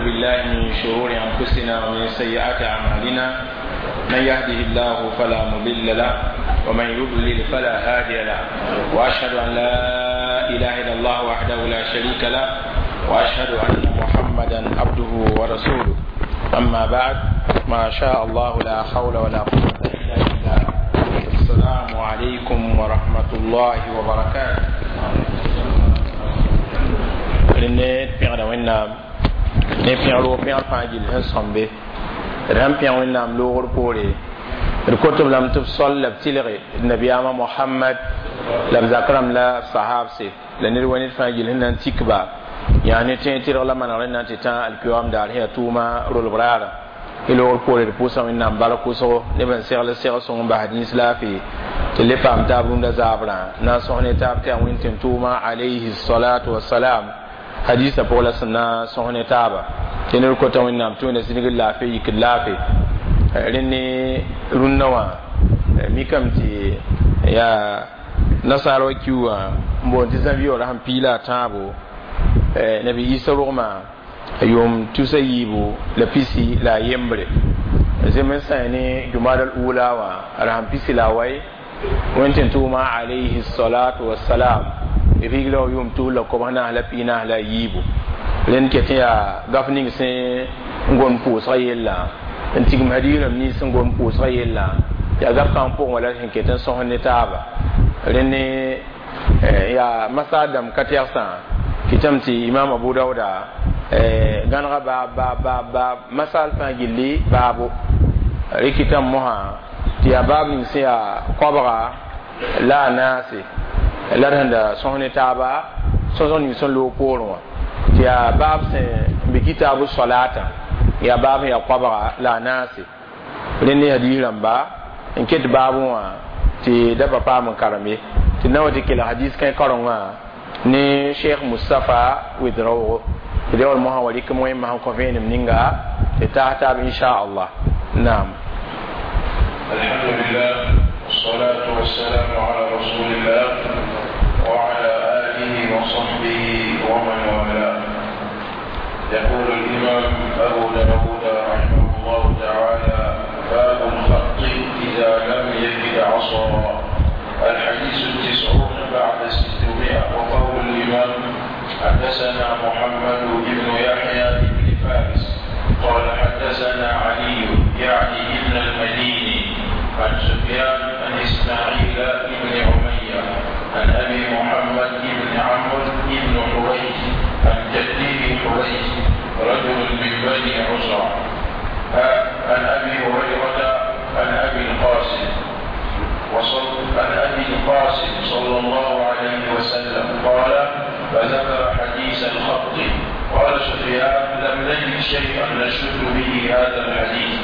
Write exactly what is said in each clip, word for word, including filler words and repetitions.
بالله من شرور أنفسنا ومن سيئات أعمالنا. من يهده الله فلا مضل له ومن يضلل فلا هادي له، وأشهد أن لا إله إلا الله وحده لا شريك له، وأشهد أن محمدا عبده ورسوله. أما بعد، ما شاء الله لا حول ولا قوة إلا بالله. السلام عليكم ورحمة الله وبركاته. Rẽnd pẽgda Wẽnnaam ne pẽgr pẽgr fãa gill sẽn sõmbe. D sãn pẽg Wẽnnaam loogr poore, d kot b lame tɩ b sol la b tɩlge nabiyaamã Mohamad la b zak rãmb la b sahabse la ned wa ned fãa gill sẽn na n tik ba yaa ne tẽeg tɩrg la manegr n na n tɩ tã alkiyoam daar sẽn yaa tʋʋma rolb raara. Y loogr poore d pʋʋsa Wẽnnaam bark wʋsgo neb n segl segl sõng n bas dĩns laafɩ tɩ le paam taab rũndã zaabrã na n sõs ne taab tɩ yaa Wẽnd tɩ tʋʋma alayhi salatu wasalam hadisa pʋg la sẽn na sõs ne taaba tɩ ned kota Wẽnnaam tɩ Wẽnna zĩnigd laafɩ yikd laafɩ. Rẽnd ne rũndã wã mikame tɩ yaa nasaar wa kiu wã n boond tɩ zã-vɩoora sẽn piila a tãabo nabi Isa rogmã yʋʋm tusa yiibu la pisi la a yembre zem n sã ne jumad al ula wã a sẽn pisi la a wai Wẽnd tɩ tʋʋma alayhi salatu wasalam rigla wa yʋʋm tus la kobs naas la pii naas la a yiibu. Rẽnd ket n yaa gaf ning sẽn n gom pʋʋsga yella n tigim hadiis rãmb nins sẽn gom pʋʋsga yella yaa gaf kãng pʋgẽ wala sẽn ket n sõs ne taaba. Rẽnd ne yaa masal dãmb ka tɛgsã kɩtame tɩ Imam Abu Dauda gãnega baab baab baab baab masal fãa gilli baabo rɩkɩtame mosã tɩ yaa baab ning sẽn yaa koabga la a naase la d sẽn da sõs ne taaba sõsg ning sẽn loog poorẽ wã tɩ yaa baab sẽn be kitaabu solata yaa baab sẽn yaa koabga la a naase. Rẽnd ne hadiis rãmba n ket baabẽ wã tɩ da pa paam n karem ye tɩ na wa tɩ kelg hadiis kãe karengã ne Cheikh Mustapha Ouedraogo tɩ reool mosã wa rɩk wẽmã sẽn kõ vẽenem ninga tɩ taas taab inchallah. Naam. الحمد لله والصلاة والسلام على رسول الله وعلى آله وصحبه ومن والاه. يقول الإمام أبو داود رحمه الله تعالى: باب الخط إذا لم يجد عصا. الحديث التسعون بعد ستمائة. وقول الإمام: حدثنا محمد بن يحيى بن فارس قال حدثنا علي يعني ابن المديني عن سفيان عن إسماعيل بن أمية عن أبي محمد بن عمرو بن حريث عن جده حريث رجل من بني عزرة عن أبي هريرة عن أبي القاسم وصل عن أبي القاسم صلى الله عليه وسلم قال: فذكر حديث الخط. قال سفيان: لم نجد شيئا نشد به هذا الحديث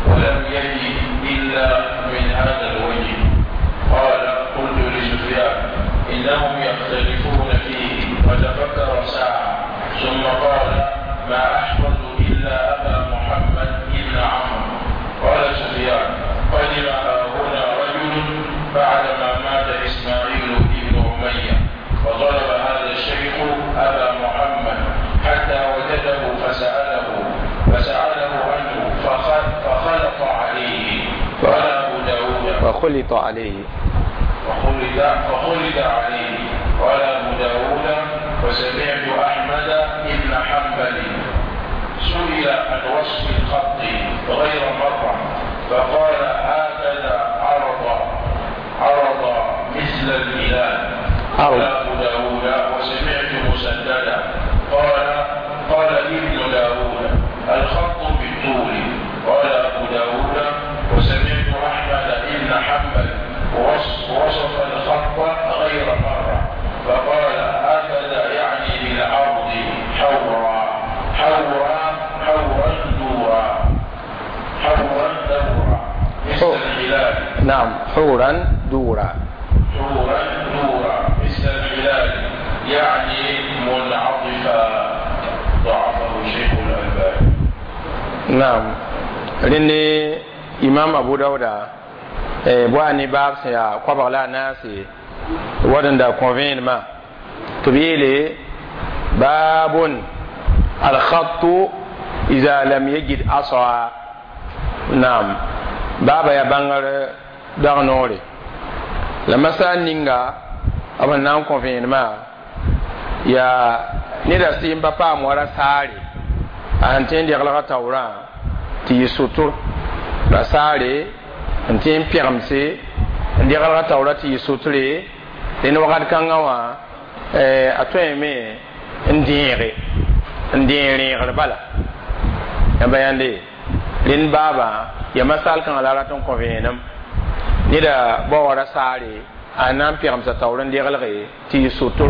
ولم يجد إلا من هذا الوجه. قال: قلت لسفيان: إنهم يختلفون فيه. فتفكر ساعة ثم قال: ما أحفظ إلا أبا محمد بن عمرو. قال سفيان: قدم هنا رجل بعدما مات إسماعيل بن أمية فطلب هذا الشيخ أبا محمد حتى وجده فسأله فسأله عنه فخلط عليه. قال أبو داود فخلط عليه فخلط, فخلط عليه. قال أبو داود: وسمعت أحمد بن حنبل سئل عن وصف الخط غير مرة فقال: هكذا عرض عرض مثل الهلال. قال أبو داود: وسمعت مسددا قال: قال ابن داود: الخط بالطول. قال أبو داود: وسمعت أحمد بن حنبل وصف الخط غير مرة فقال: هكذا يعني بالعرض حورا حورا حورا دورا حورا دورا مثل الهلال. نعم، حورا دورا حورا دورا مثل الهلال يعني منعطفا. ضعفه شيخ الألباني. نعم. Rẽnd Imam Abu Dauda boa ne baab sẽn yaa koabg la a naase wad n da kõ vẽenemã tɩ b yeele baabun alkhattu إذا لم يجد عصا نعم بابا يا بانغر دغنوري لما سال نينغا b na n kõ vẽenemã yaa neda sɩ n pa paam wa rasaare a sẽn tõe n deglga taoorã tɩ yɩ sʋtr rasaare n tõe n pẽgemse n deglga taoorã tɩ yɩ sʋtre dẽnd wakat kãngã wã a tõeme n dẽege n dẽeg rẽegr bala yãmba yãnde rẽnd baaba ya masal kãngã la rat n kõ vẽenem neda bao wa rasaare a na n pẽgemsa taoor n deglge tɩ yɩ sʋtr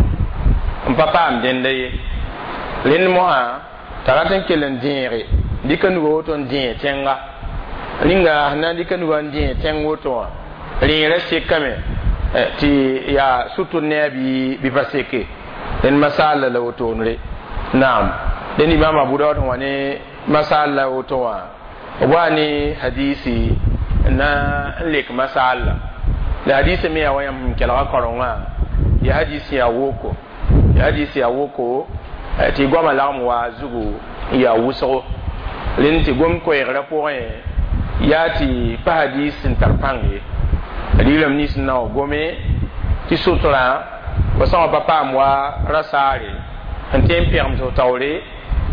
n pa paam dẽnda ye rẽnd mosã t'a rat n kell n dẽege dɩka nuga woto n dẽeg tẽnga rĩnga sẽn na n dɩka nuga n dẽeg tẽng woto wã rẽerã sekame tɩ yaa sʋtr ne a bɩ bɩ pa seke rẽnd masaal la wotoonre naam dẽnd imam abu daud sẽn wa ne masaal la woto wã b wa ne hadisi na n lek masaal la la hadisi me yaa wa yãmb sẽn kelga karengã ya hadisi yaa woko ya hadisi yaa woko tɩ goamã lagem wa zugu n yaa wʋsgo rẽnd tɩ gom koɛɛgrã pʋgẽ yaa tɩ pa hadis sẽn tar pãng ye rɩɩrame nins n na wa gome tɩ sotrã fo sã wã pa paam wa rasaare sẽn tõe n pẽgemd f taoore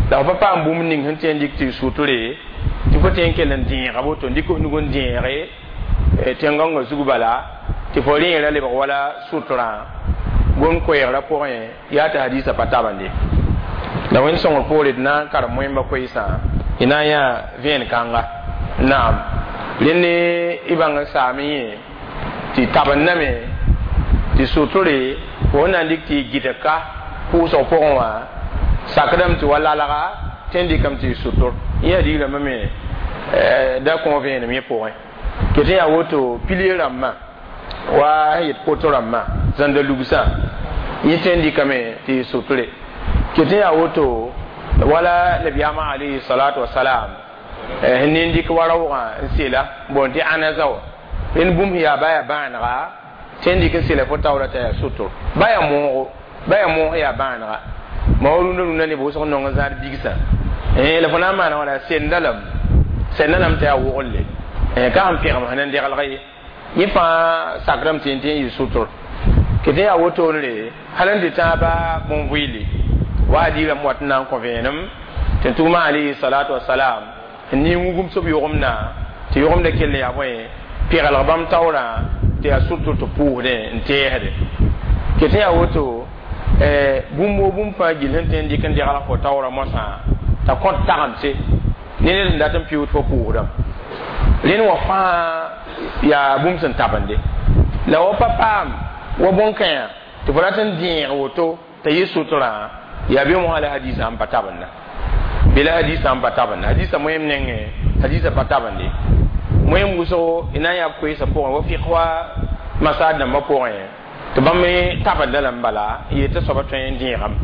la fo pa paam bũmb ning sẽn tõe n dɩk tɩ y sʋtre tɩ fo tõe n kell n dẽega woto n dɩk f nug n dẽege tẽn-gãongã zug bala tɩ fo rẽerã lebg wala sʋtrã gom koɛɛgrã pʋgẽ yaa tɩ hadisa pa tabende la wẽnd sõngr poore d na n karem moẽmba koeesã y na n yã vẽen kãnga naam rẽnd y bãng n saam yẽ tɩ tabendame tɩ sʋtre fo na n dɩk tɩ y gɩdg ka pʋʋsg pʋgẽ wã sakdame tɩ wa lalga tɩ n dɩkame tɩ y sʋtr yẽ yaa rãmbã me da kõ vẽenem yẽ pʋgẽ ket n yaa woto pilie rãmbã wa sẽn yet poto rãmbã zãnda lugsã yẽ tõe n dɩkame tɩ y sʋtre ket n yaa woto wala nabiyaamã alayhi salatu wasalam sẽn ne n dɩk wa raoogã n sela bon tɩ ãnaza wa rẽnd bũmb sẽn yaa ba yaa bãanega tõe n dɩk n sela fo taoora t'a yaa sʋtr ba yaa moogo ba yaa moog yaa bãanega ma wa rũndã rũndã neb wʋsg nong n zãad bigsã la fo na n maana wãna senda lame senda lame t'a yaa woglle ka sẽn pẽgem sẽn n deglg ye yẽ fãa sakrame tɩ tɩ n yɩ sʋtr ket n yaa wotoonre hal n dɩ tãaba bõn-vɩɩle wa adiirame wat n na n kõ vẽenem tɩ tʋʋma alayhi salatu wasalam n ning wugum sob yogem-na tɩ yogemda kell n yaa bõe pɛglg bãmb taoorã tɩ yaa sʋtr tɩ pʋʋsdẽ n tɛɛsde ket n yaa woto bũmb woo bũmb fãa gill sẽn tõe n dɩk n deglg fo taoorã moasã t'a kõt tagemse ne ned sẽn dat n pɩʋʋd fo pʋʋsdame rẽnd wã fãa yaa bũmb sẽn tabende la wa pa paam wa bõn-kãyã tɩ fo rat n dẽeg woto t'a yɩ sʋtrã yaa bɩ mosã la hadisã n pa tabenda bɩ la hadisã n pa tabenda hadisã moẽm nengẽ hadisã pa tabende moẽm wʋsgo y na n yaa koeesã pʋgẽ wa fɩk wa masaad dãmbã pʋgẽ tɩ bãmb me tabenda lame bala n yet tɩ soaba tõe n dẽegame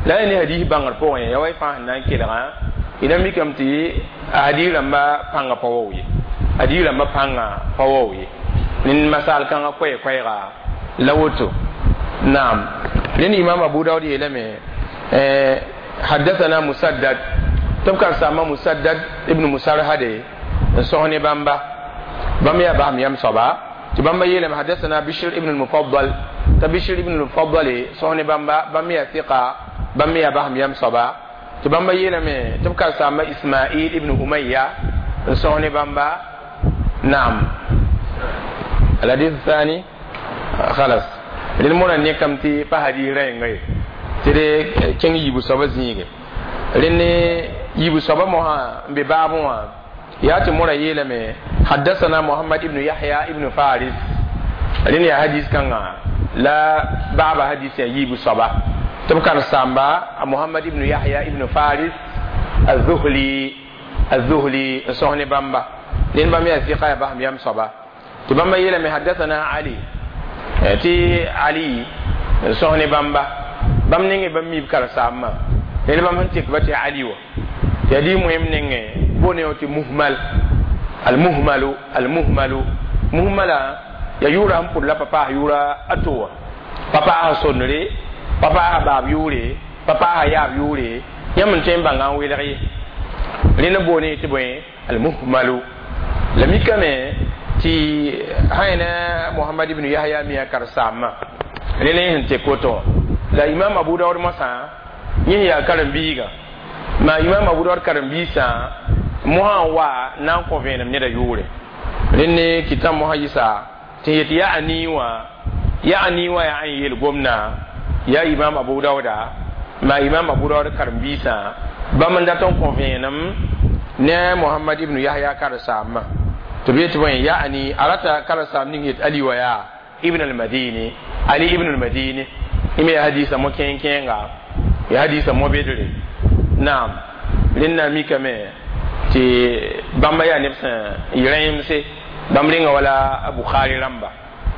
la ya ne hadis bãngr pʋgẽ ya wa y fãa sẽn na n kelgã y na mikame tɩ a hadis rãmbã pãngã pa wao ye hadis rãmbã pãngã pa wao ye rẽnd masaal kãngã koɛɛ-koɛɛga la woto naam rẽnd imam abu daud yeelame حدثنا مسدد tɩ b karen-saambã musaddad ibn musarhade n sõs ne bãmba bãmb yaa basem yam soaba tɩ bãmba yeelame حدثنا بشر ibn المفضل t'a bishr ibn المفضل sõs ne bãmba bãmb yaa ثقة bãmb yaa basem yam soaba tɩ bãmba yeelame tɩ b karen-saamba ismail ibn umayya n sõs ne bãmba naam الحديث الثاني خلاص rẽnd mora nekame tɩ pa hadis rẽnga ye tɩ d kẽng yiibu soaba zĩige rẽnd yiibu soaba mosã n be baabẽ wã yaa tɩ mora yeelame حدثنا محمد ibn yahya ibn faris rẽnd yaa hadis kãngã la baaba hadis yaa yiibu soaba tɩ b karen-saamba muhammad ibn yahya ibn faris الذهلي الذهلي n sõs ne bãmba rẽnd bãmb yaa ثقة yaa basem yam soaba tɩ bãmba yeelame حدثنا ali tɩ ali n sõs ne bãmba bãmb nengẽ bãmb miib karen-saambã rẽnd bãmb sẽn tek ba tɩ ali wa tɩ yaa moẽm nengẽ boone tɩ muhmal المهمل المهمل muhmala ya yʋʋra sẽn pʋd la pa paas yʋʋra a to wã pa paasa sondre pa paasa baab yʋʋre pa paasa yaab yʋʋre yãmb n tõe n bãnga n welg ye Rẽnd n boone tɩ bõe almuhmalu la mikame tɩ sã Muhammad ibn Yahya mi a karen-saambã rẽnd sẽn tek woto la Imam Abu Daud mosã yẽ yaa karen-biigã ma Imam Abu Daud karen-biisã mosã n wa na n kõ vẽenem neda yʋʋre rẽnd ne kɩtã mosã yɩsa tɩ yet yaa nii wã yaa nii wã yaa n yeel gomdã yaa Imam Abu Dauda ma Imam Abu Daud karen-biisã bãmb n dat n kõ vẽenem ne Muhammad ibn Yahya karen-saambã tɩ b yet bõe yaani a rata karen-saam ning yet Ali wa yaa Ibn al-Madini Ali ibn al-Madini ime ya hadisa mo kẽeng-kẽenga ya hadisa mo bedre naam rẽnda mikame tɩ bãmba yaa neb sẽn yɩ rẽemse bãmb rẽnga wala Bukhari rãmba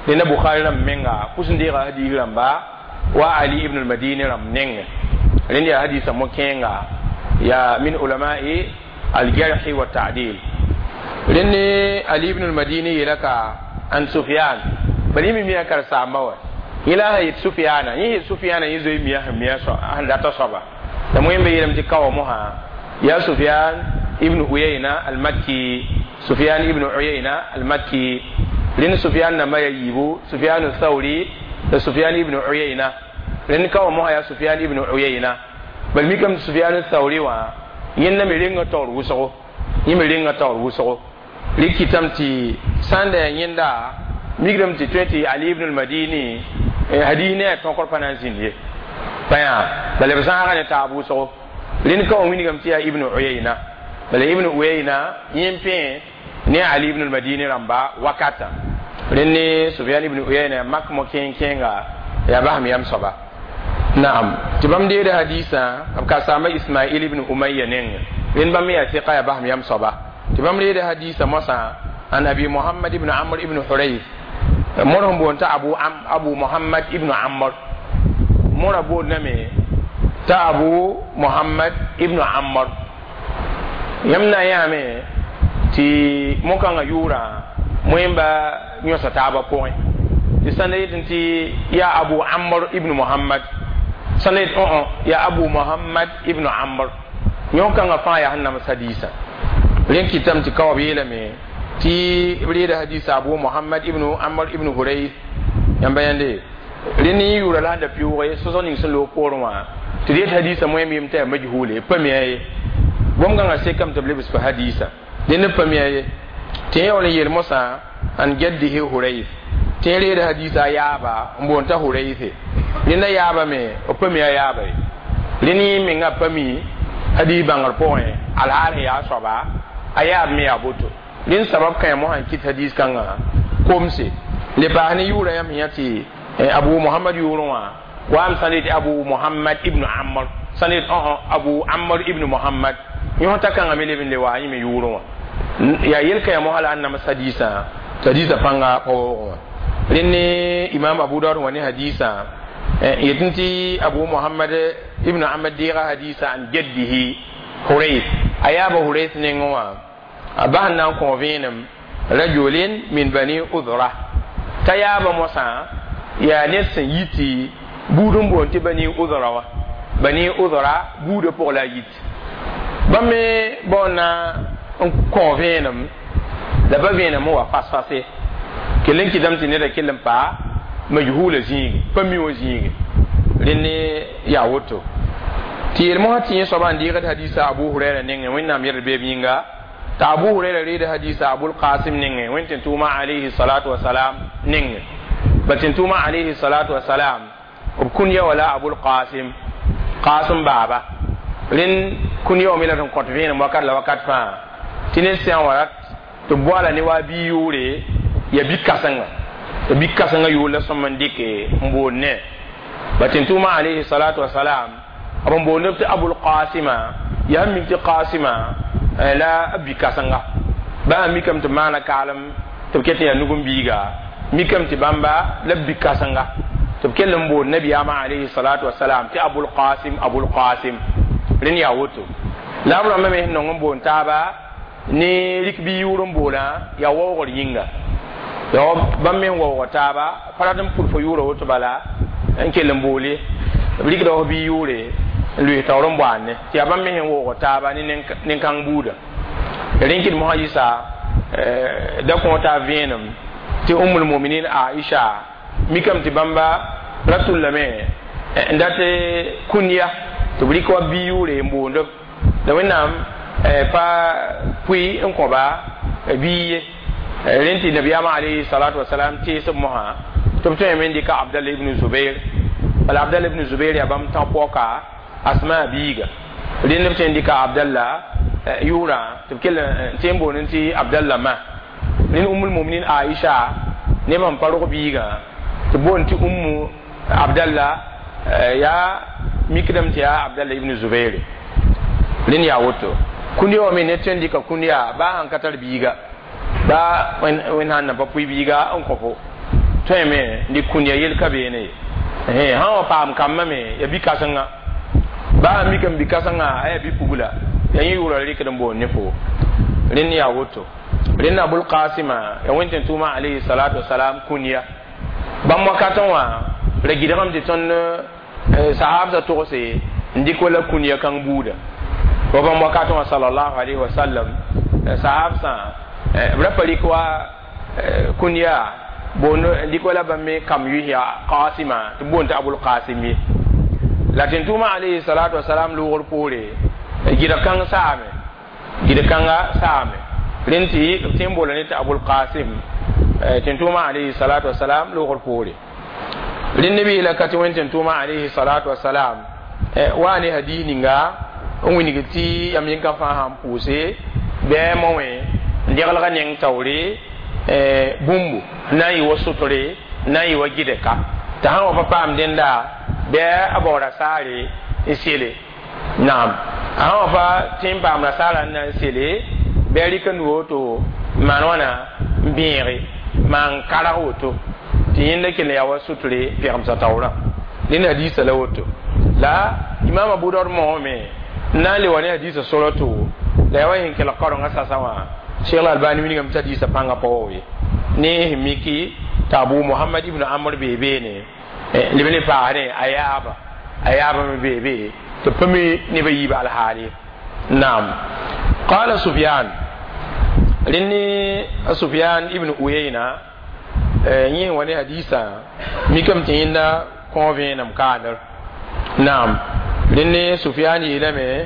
rẽnda Bukhari rãmb menga pʋs n deega hadis rãmba wa Ali ibn al-Madini rãmb nengẽ rẽnd yaa hadisa mo kẽenga ya min ulamai al-jarh wa ta'dil rẽnd Ali ibn al-Madini yeela ka an Sufyan bala yẽ me miã karen-saamba wa yẽ la sã yet Sufyana yẽ yet Sufyana yẽ zoe mia sẽn mia sẽn data soaba la moẽmbe yeelame tɩ kaoa mosã yaa Sufyan ibn Uyayna al-Makki Sufyan ibn Uyayna al-Makki rẽnd Sufyan namba yaa yiibu Sufyan Thawri la Sufyan ibn Uyayna rẽnd kaoa mosã yaa Sufyan ibn Uyayna bal mikame tɩ Sufyan Thawri wã yẽnda me renga taoor wʋsgo yẽ me renga taoor wʋsgo rɩk kɩtame tɩ sã n da yaa yẽnda mikdame tɩ tõe tɩ Ali ibn al-Madini hadis ne a tõkr pa na n zĩnd ye pa yã bala b zãaga ne taab wʋsgo rẽnd ka wã wilgame tɩ yaa Ibn Uyayna bala Ibn Uyayna yẽ n pẽ ne Ali ibn al-Madini rãmba wakata rẽnd ne Sufyan ibn Uyayna mak mo kẽeng-kẽenga yaa basem yam soaba naam tɩ bãmb deeda hadisã b ka saamba Ismail ibn Umayya nengẽ rẽnd bãmb me yaa sɩka yaa basem yam soaba tɩ bãmb reeda hadisã mosã an Abi Muhammad ibn Amr ibn Hurayth mor sẽn boond t'a Abu, Abu Muhammad ibn Amr mora boondame t'a Abu Muhammad ibn Amr yãmb na n yãame tɩ mo-kãngã yʋʋrã moẽmba yõsa taabã pʋgẽ tɩ sãn da yetẽ tɩ yaa Abu Amr ibn Muhammad sãn da yet õ yaa Abu Muhammad ibn Amr yõ-kãngã fãa yaa sẽn nams hadiisã rẽn kɩtame tɩ ka b yeelame tɩ b reeda hadisa Abu Muhammad ibn Amr ibn Hurayth yãmba yãnde rẽnd yẽ yʋʋra la sẽn da pɩʋʋge sõsg ning sẽn loog poorẽ wã tɩ d yet hadisa moẽm yem t'a yaa majhule pa mia ye gom-gãngã sekame tɩ b lebs pa hadisa dẽnd pa mia ye tɩ yẽ yaool n yeel mosã an jaddihi Hurayth tɩ yẽ reeda hadisa a yaaba n boond t'a Hurayth rẽnda yaaba me b pa mi a yaaba ye rẽnd yẽ menga pa mi hadis bãngr pʋgẽ alhaal sẽn yaa soaba a yaab me yaa boto rẽnd sabab kãe mosã n kɩt hadis kãngã komse le paas ne yʋʋra yãmb yã tɩ Abu Muhammad yʋʋrẽ wã waam sã n yetɩ Abu Muhammad ibn Amr sã n yet õ Abu Amr ibn Muhammad yõ t'a kãngã me leb n le wa yẽ me yʋʋrẽ wã yaa yel-kãe mosã la n nams hadisã tɩ hadisã pãnga pa waoogẽ wã rẽnd ne Imam Abu Daud wã ne hadisã yetẽ tɩ Abu Muhammad ibn Amr deega hadisã an jaddihi Hurayth a yaaba Hurayth nengẽ wã a bas n na n kõ vẽenem rajulin min Bani Udra t'a yaaba mosã yaa ned sẽn yi tɩ buud n boond tɩ Bani Udra wã Bani Udra buudã pʋg la a yit bãmb me baoon na n kõ vẽenem la pa vẽenem n wa fas-fase kell n kɩtame tɩ neda kell n pa majhula zĩige pa mi wã zĩige rẽnd ne yaa woto tɩ yel mosã tɩ yẽ soaba n deegd hadisa Abu Huraira nengẽ Wẽnnaam yɛd beeb yĩnga t'a Abu Huraira reeda hadisa Abul Qasim nengẽ Wẽnd tɩ tʋʋma alayhi salatu wasalam nengẽ bal tɩ tʋʋma alayhi salatu wasalam b kũn-ya wala Abul Qasim Qasim baaba rẽnd kũn-ya wã me la n kõt vẽenem wakat la wakat fãa tɩ ned sã n wa rat tɩ b boala ne wa bi yʋʋre ya bi-kãsenga tɩ bi-kãsengã yʋʋr la sõm n dɩke n boond ne ba tɩ tʋʋma alayhi salatu wasalam b n boond b tɩ Abul Qasima yaa mik tɩ Qasima la bi-kãsenga ba sã mikame tɩ maana kaalem tɩ b ket n yaa nug-n-biiga mikame tɩ bãmba la bi-kãsenga tɩ b kell n boond nabiyaamã alayhi salatu wasalam tɩ Abul Qasim Abul Qasim rẽnd yaa woto la b rãmbã me sẽn nong n boond taaba ne rɩk bi yʋʋr n boolã yaa waoogr yĩnga yaa bãmb me n waoog taaba pa rat n pʋd fo yʋʋra woto bala n kell n boole b rɩkda f bi yʋʋre n loes taoor n boaadne tɩ yaa bãmb me sẽn woog taaba ne nin-kãng buuda rẽn kɩd mosã yɩsa da kõ t'a vẽenem tɩ ummul muminin Aisha mikame tɩ bãmba ra tʋllame n dat kũnyaa tɩ b rɩk wa bi yʋʋre n boond la Wẽnnaam pa pʋɩ n kõba bii ye rẽn tɩ nabiyaamã alayhi salatu wasalam tees b mosã tɩ b tõeme n dɩka Abdallah ibn Zubair bala Abdallah ibn Zubair yaa bãmb tã paoka Asma biiga rẽnd b tõe n dɩka Abdallah yʋʋrã tɩ b kell n tẽ n boond tɩ Abdallah ma rẽnd Ummul muminin Aisha neb sẽn pa rog biigã tɩ boond tɩ Ummu Abdallah yaa mikdame tɩ yaa Abdallah ibn Zubair rẽnd yaa woto kũndiya wã me ne tõe n dɩka kũndiya baa sãn ka tar biiga baa wẽnd sãn na pa pʋɩ biiga n kõ fo tõeme n dɩk kũndiya yel ka beene ye sã wa paam kambã me ya bi-kãsenga baa sãn mikame bi-kãsengã a yaa bi-pugla yaa yẽ yʋʋra rɩkd n boond ne fo rẽnd yaa woto rẽnd Abul Qasima ya wẽn tɩ tʋʋma alayhi salatu wasalam kũndiya bãmb wakatẽ wã ra gɩdgame tɩ tõnd sahabsã togse n dɩk wala kũndiya kãng buuda wa bãmb wakatẽ wã sallallahu alayhi wa sallam sahabsã b ra pa rɩk wa kũndiya boond n dɩk wala bãmb me kam yʋs yaa Qasima tɩ b boond tɩ Abul Qasim ye la tɩ tʋʋma alayhi salatu wasalam loogr poore gɩdg kãng saame gɩdg kãnga saame rẽnd tɩ b tẽ n boola ne tɩ Abul Qasim tɩ tʋʋma alayhi salatu wasalam loogr poore rẽnd neb yeela ka tɩ wẽn tɩ tʋʋma alayhi salatu wasalam wa ne hadis ninga n wilg tɩ yam yẽnka fãa sãn pʋʋse bɩ mo wẽ n degelga neng taoore bũmbu n na n yɩ wa sotre n na n yɩ wa gɩdka tɩ sã n wa pa paam dẽnda bɩ a bao rasaare n sele naam a sã wa pa tẽ n paam rasaarã n na n sele bɩ a rɩk n nu woto n maan wãna n bẽege maan karg woto tɩ yẽnda kell n yaa wa sotre pɛgemsã taoorã rẽnd hadiisã la woto la Imam Abu Daud moome n na n le wa ne hadiisã sora to la yaa wa sẽn kelg kaorengã sasa wã Cheikh Albani wilgame tɩ hadiisã pãngã pa wa ye ne sẽn miki t'a Abu Muhammad ibn Amr bee beene leb ne paasdẽ a yaaba a yaaba me bee be tɩ pa mi nebã yiib alhaal ye naam qala Sufyan rẽnd ne Sufyan ibn Uyayna yẽ wa ne hadiisã mikame tɩ yẽnda kõ vẽenem kaandr naam rẽnd ne Sufyan yeelame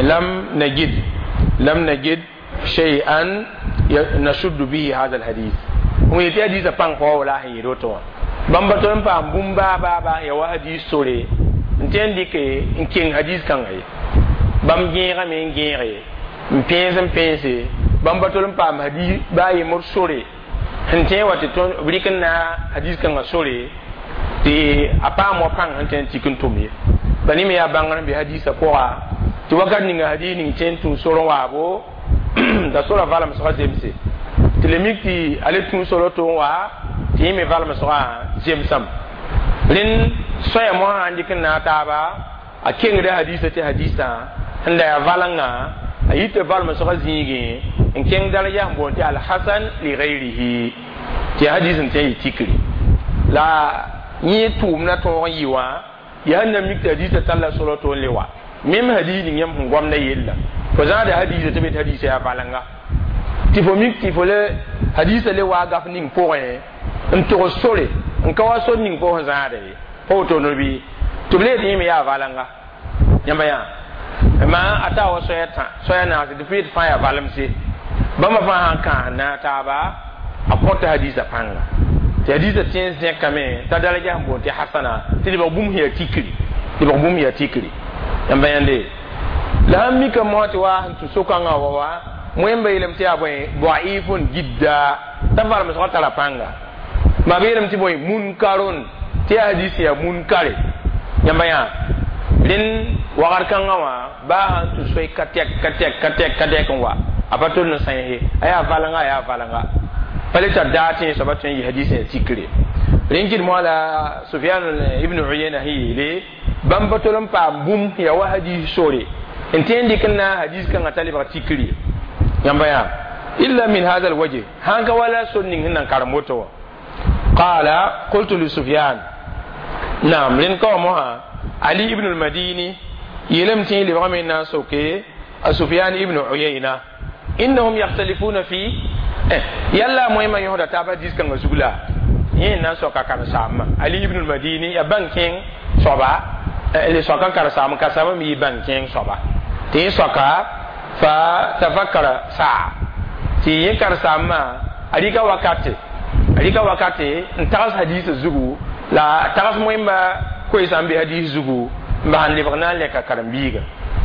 lam najid lam najid shay'an nashuddu bihi hadha alhadith n yetɩ hadiisã pãng pa wa wala sẽn yeel woto wã bãmb pa tol n paam bũmb baa baa baa ya wa hadis sore n tẽ n dɩke n keng hadis kãnga ye bãmb gẽegame n gẽege n pẽes n pẽese bãmb pa tol n paam hadis baa yembr sore sẽn tẽ wa tɩ b rɩk n na hadis kãngã sore tɩ a paam wa pãng sẽn tẽ n tik n tʋm ye ba ne me yaa bãngr n be hadisã pʋga tɩ wakat ninga hadis ning tẽ n tũ sor n waabo t'a sora valemsgã zemse tɩ le mik tɩ a le tũ sor to n wa tɩ yẽ me valemsgã zemsame rẽnd sõya mosã n dɩk n naag taaba a kengda hadisã tɩ hadisã sẽn da yaa valenga a yita valemsgã zĩigẽ n kẽng daraja sẽn boond tɩ alhasan li gayrihi tɩ hadis n tẽ n yɩ tikri la yẽ tʋʋmdã tõog n yɩ wã yaa sẽn na mik tɩ hadisã talla sora to n le wa mem hadis ning yãmb sẽn goamda yella fo zãada hadisã tɩ be tɩ hadisã yaa valenga tɩ fo mik tɩ fo le hadisã le waa gaf ning pʋgẽ n tog sore n ka wa sor ning fo sẽn zãada ye pa woto no bɩ tɩ b le tɩ yẽ me yaa valenga yãmba yã ma a taa wa soaya tã soaya naase tɩ fo yet fãa yaa valemse bãmba fãa sãn kãas naag taaba a kõta hadisã pãnga tɩ hadisã tẽ n zẽkame t'a daraja sẽn boond tɩ hasana tɩ lebg bũmb sẽn yaa tikri lebg bũmb yaa tikri yãmba yãnde la sãn mika mosã tɩ wa sẽn tũ so-kãngã wa wa wẽmba yeelame tɩ yaa bõe daifun jidda t'a valemsgã tara pãnga ma b yeelame tɩ bõe munkarun tɩ yaa hadis yaa munkare yãmba yã rẽnd wagr kãngã wã baa sãn tũ soy ka tɛk ka tɛk ka tɛk ka tɛk n wa a pa tol n sãense a yaa valenga a yaa valenga pa le tar daa tẽ soaba tõe n yɩ hadis yaa tikre rẽn kɩd moa la Sufyan ibn Uyayna sẽn yeele bãmb pa tol n paam bũmb yaa wa hadis sore n tẽ n dɩk n na hadis kãngã t'a lebg tikri yãmba yaa illa min hadha alwajh sãn ka wala sor ning sẽn nan karem woto wã qala qultu li Sufyan naam rẽnd ka wa mosã Ali ibn al-Madini Yeelame tɩ yẽ lebgame n na n soke a Sufyan ibn Uyayna innahum yakhtalifuna fi yalla moẽmã yõsda taab hadis kãngã zug la yẽ n na n soka karen-saambã Ali ibn al-Madini ya bãng kẽeng soaba le soaka karen-saam ka-saambã me yɩ bãng kẽeng soaba tɩ yẽ soaka fa tafakkara saa tɩ yẽ karen-saambã a rɩka wakate a rɩka wakate n tags hadisã zugu la tags moẽmba koeesã n be hadis zugu n bas n lebg na n lɛka karen-biiga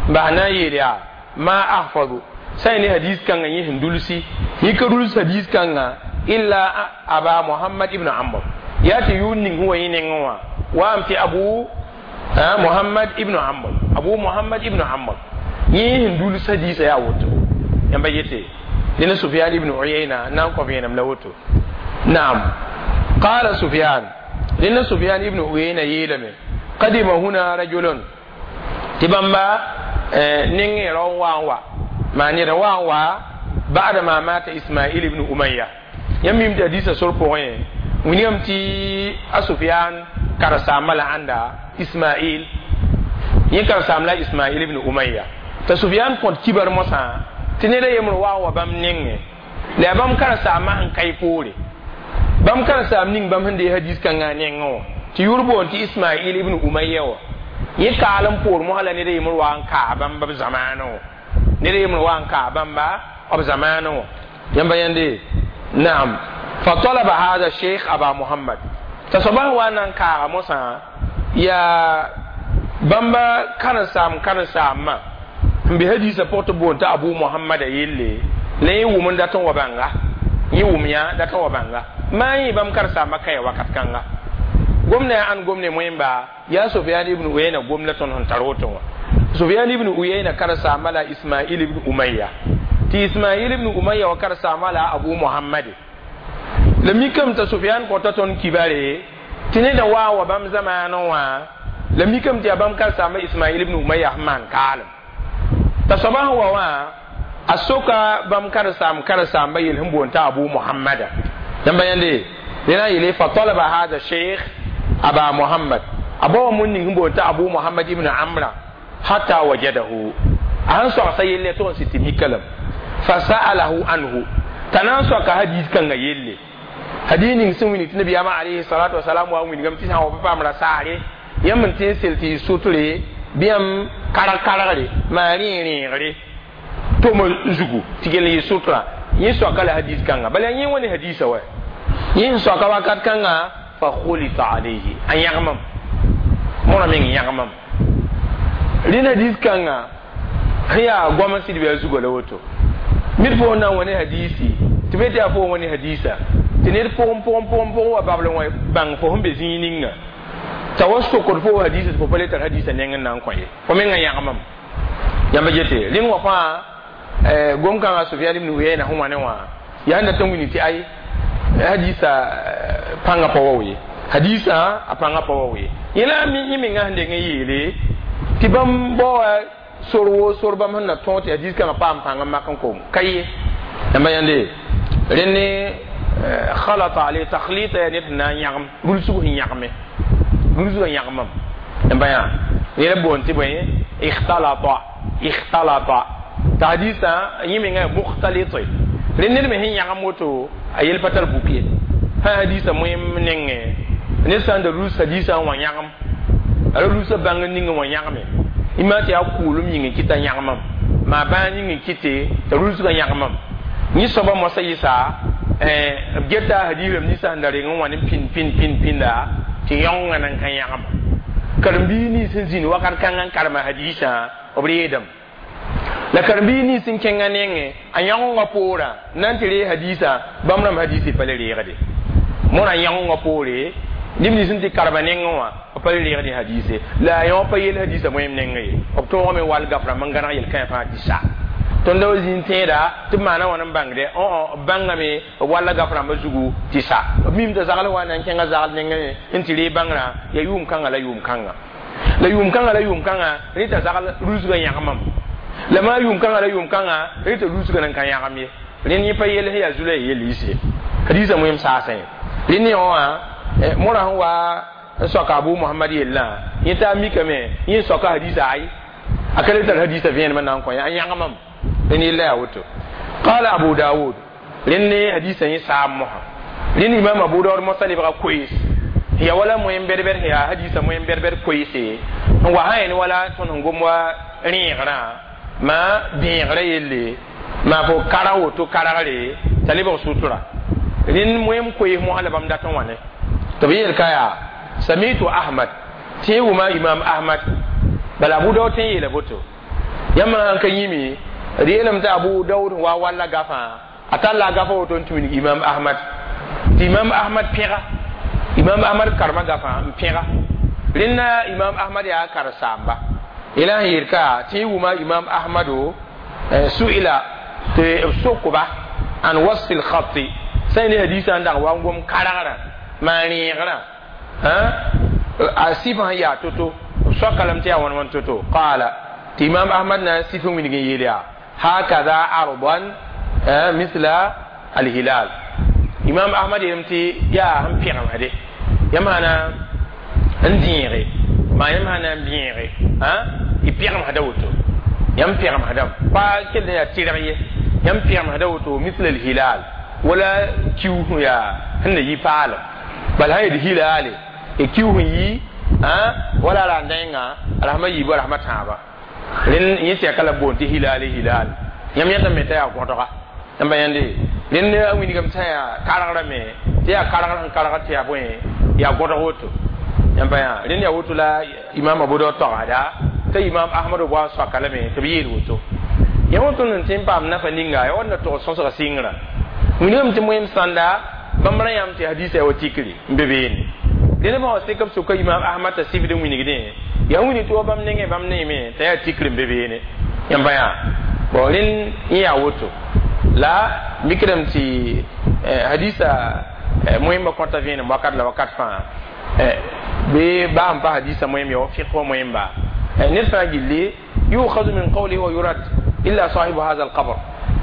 n bas na n yeel yaa ma ahfadu sã ne hadis kãngã yẽ sẽn dulsi yẽ ka ruls hadis kãngã illa aba Muhammad ibn Amr yaa tɩ yʋʋr ning sẽn wa yẽ nengẽ wã waam tɩ Abu Muhammad ibn Amr Abu Muhammad ibn Amr yẽ sẽn duls hadisã yaa woto yãmba yete dẽna Sufyan ibn Uyayna na n kõ vẽenem la woto naam qala Sufyan dẽna Sufyan ibn Uyayna yeelame qadima huna rajulun tɩ bãmba nengẽ rao n wa n wa maa ned n wa n wa ba'da ma mata Ismail ibn Umayya yãmb mim tɩ hadisã sor pʋgẽ wilgame tɩ a Sufyan karen-saambã la ãnda Ismail yẽ karen-saam la Ismail ibn Umayya t'a Sufyan kõt kibar mosã tɩ ned a yembr wa n wa bãmb nengẽ la yaa bãmb karen-saambã sẽn ka y poore bãmb karen-saam ning bãmb sẽn dee hadis kãngã nengẽ wã tɩ yʋʋr boond tɩ Ismail ibn Umayya wã yẽ kaal n poor mosã la ned a yembr wa n kaa bãmb b zamaanẽ wã ned a yembr wa n kaa bãmba b zamaanẽ wã yãmba yãnde naam fa talaba hada sheikh aba Muhammad t'a soaba sẽn wa n na n kaaga mosã yaa bãmba karen-saam karen-saambã n be hadisã pʋg tɩ boond tɩ Abu Muhammada yelle la yẽ wʋm n dat n wa bãnga yẽ wʋm yã dat n wa bãnga maa yẽ bãmb karen-saambã kaya wakat kãnga gomna yaa ãn gomne moẽmba yaa Sufyan ibn Uyayna gom la tõnd sẽn tar woto wã Sufyan ibn Uyayna karen-saamba la Ismail ibn Umayya tɩ Ismail ibn Umayya wa karen-saamba la Abu Muhammad la mikame t'a Sufyan kõta tõnd kibare tɩ neda wa n wa bãmb zamaanẽ wã la mikame tɩ yaa bãmb karen-saamba Ismail ibn Umayya sẽn maan kaalem t'a soaba sẽn wa wã a soka bãmb karen-saam karen-saamba yel sẽn boond t'a Abu Muhammada yãmba yãnde dẽna n yeele fa talaba hada sheikh aba Muhammad a bao mun ning sẽn boond t'a Abu Muhammad ibn Amra hatta wajadahu a sẽn soagsa yelle tɩ n sɩ tɩ mika lame fa sa'alahu anhu t'a na n soaka hadis kãngã yelle hadis ning sẽn wilg tɩ nabiyaamã alayhi salatu wasalam wa n wilgame tɩ sã n wa pa paam ra saare yãmb n tɩ n sel tɩ y sʋtre bɩ yãmb karg kargre maa rẽeg rẽegre tʋm zugu tɩ gell yɩ sʋtra yẽ soaka la hadis kãnga bala yẽ wa ne hadisa wa yẽ sẽn soaka wakat kãnga fa khulita alayhi a yãgmam mõra meng yãgmam rẽnd hadis kãnga sẽn yaa goam n sɩd bɩ a zugã la woto ned fo na n wa ne hadisi tɩ be tɩ yaa fo wa ne hadisa tɩ ned pʋgẽ pʋgẽ pʋgẽ pʋgẽ wa babl wã bãng fo sẽn be zĩig ninga t'a wa sokd fo hadisa tɩ fo pa le tar hadisa neng n na n kõ ye fo mengã yãgmam yãmba gete rẽnd wã fãa gom kãngã Sufyan ibn Uyayna sẽn wa ne wã yaa sẽn dat n wilg tɩ ay hadisa pãngã pa wa ye hadisa a pãngã pa wa ye yẽ la yẽ mengã sẽn deng n yeele tɩ bãmb baoa sor wo sor bãmb sẽn na tõog tɩ hadis kãngã paam pãng n mak n kom ka ye yãmba yãnde rẽnd ne khalata ale takhlita ya ned na n yãgem rulsg sẽn yãgme rulsgã yãgmam yãmba yã yẽ la boond tɩ bõe ikhtalata ikhtalata t'a hadisã yẽ mengã mukhtalite rẽnd ned me sẽn yãgem woto a yel pa tar buk ye sã hadisã moẽm nengẽ ned sã n da ruls hadisã n wa yãgem a ra rulsã bãng n ning n wa yãgme ima tɩ yaa kʋʋlem yĩng n kɩta yãgmam maa bãag ning n kɩte t'a rulsgã yãgmam yẽ soaba moasã yɩsa b geta hadis rãmb ninsã sẽn da reng n wa ne pĩnd pĩnd pĩnd pĩnda tɩ yãongã nan ka yãgma karen-biig nins sẽn zĩnd wakat kãngã n karema hadisã b reedame la karen-biig nins sẽn kẽngã nengẽ a yãongã poorã na n tɩ ree hadisã bãmb rãmb hadisã pa le reegde mõra yãongã poore neb nins sẽn tɩ karema nengẽ wã b pa le reegd hadise la a yõ pa yel hadisã moẽm nengẽ ye b tõogame wall gaf rãmb n gãneg yel-kãe fãa tɩ sa tõnd wa zĩnd tẽeda tɩ b maana wãn n bãngde b bãngame b walla gaf rãmbã zugu tɩ sa b mim t'a zagl wa na n kẽngã zagl nengẽ n tɩ ree bãngrã yaa yʋʋm kãngã la yʋʋm kãnga la yʋʋm kãngã la yʋʋm kãngã rẽ t'a zagl rulsgã yãgmam la maa yʋʋm kãngã la yʋʋm kãngã rẽ t'a rulsgã nan ka yãgem ye rẽnd yẽ pa yel sẽn yaa zula yel yise hadisã moẽm saasã ye rẽnd yõ wã mõra sẽn wa n soaka Abu Muhammad yellã yẽ t'a mikame yẽ soaka hadisa ay A ka le tar hadisa vẽenemã na n kõ ya a yãgmam rẽnd yella yaa woto. Qala Abu Dawud, rẽnd ne hadisa yẽ saam mosã. Rẽnd Imam Abu Dawud mosã lebga koees ya wala moyen bɛd-bɛd sẽn yaa hadisa moyen bɛd-bɛd koeese n wa sã yẽ wala tõnd sẽn gom wa rẽegrã ma bẽegrã yelle maa fo karg woto kargre t'a lebg sutura. Rẽnd moyen koees mosã la bãmb dat n wa ne tɩ b yeel ka yaa samitu Ahmad tɩ yẽ wʋma Imam Ahmad. Bala Abu Dawud tɩ n yeela boto yãmb sãn ka yĩme d yeelame tɩ Abu Dawud wa walla gafã a talla a gafa woto n tũ wilg Imam Ahmad tɩ Imam Ahmad pẽga Imam Ahmad karema gafã n pẽga. Rẽnda Imam Ahmad yaa karen-saamba yela sẽn yeel ka tɩ yẽ wʋma Imam Ahmado su'ila tɩ b sokba an wasfi lkhati sã ne hadisa n dag wa n gom kargrã maa rẽegrã a sɩf sẽn yaa to-to b soaka lame tɩ yaa wãn wãn to-to. Qaala tɩ Imam Ahmad na n sɩf n wilg n yeel yaa hakada ardan misla alhilal. Imam Ahmad yeelame tɩ yaa sẽn pẽgemsde yãmb sã n dẽege maa yãmb sã na n bẽege y pẽgemsda woto yãmb pẽgemsdame pa kell n yaa tɩrg ye yãmb pẽgemsda woto misla alhilal wala kiu sẽn yaa sẽn na yi paalem bala sã yel hilaale y kiu sẽn yi wala ra ndenga rahma yiibu rahma tãaba rẽnd yẽ tɛka la boond tɩ hilaale hilal yãmb yẽtame t'a yaa gõdga yãmba yãnde rẽnd a wilgame t'a yaa kargrame tɩ yaa kargr sẽn kargr tɩ yaa bõe yaa gõdg woto yãmba yã rẽnd yaa woto la Imam Abu Dawud togsda t'a Imam Ahmad b wa n soaka lame tɩ b yeel woto yã wã tõnd n tɩ n paam nafa ninga ya wãnda tog sõsga sɩngrã wilgame tɩ moem sãnda bãmb ra yãmb tɩ hadisa ya wa tikri n be beene dẽnd bã wã sek b soka Imam Ahmad t'a sɩbd n wilgdẽ yaa wilg tɩ wa bãmb nengẽ bãmb neeme t'a yaa tikr n be beene yãmba yã bon rẽnd yẽ yaa woto la mikdame tɩ hadisa moẽmbã kõta vẽenem wakat la wakat fãa bɩ baa n pa hadisa moẽm ya wa fiq wã moẽmba ned fãa gilli yukhadu min qawlihi wa yurad illa sahibu hadha alqabr.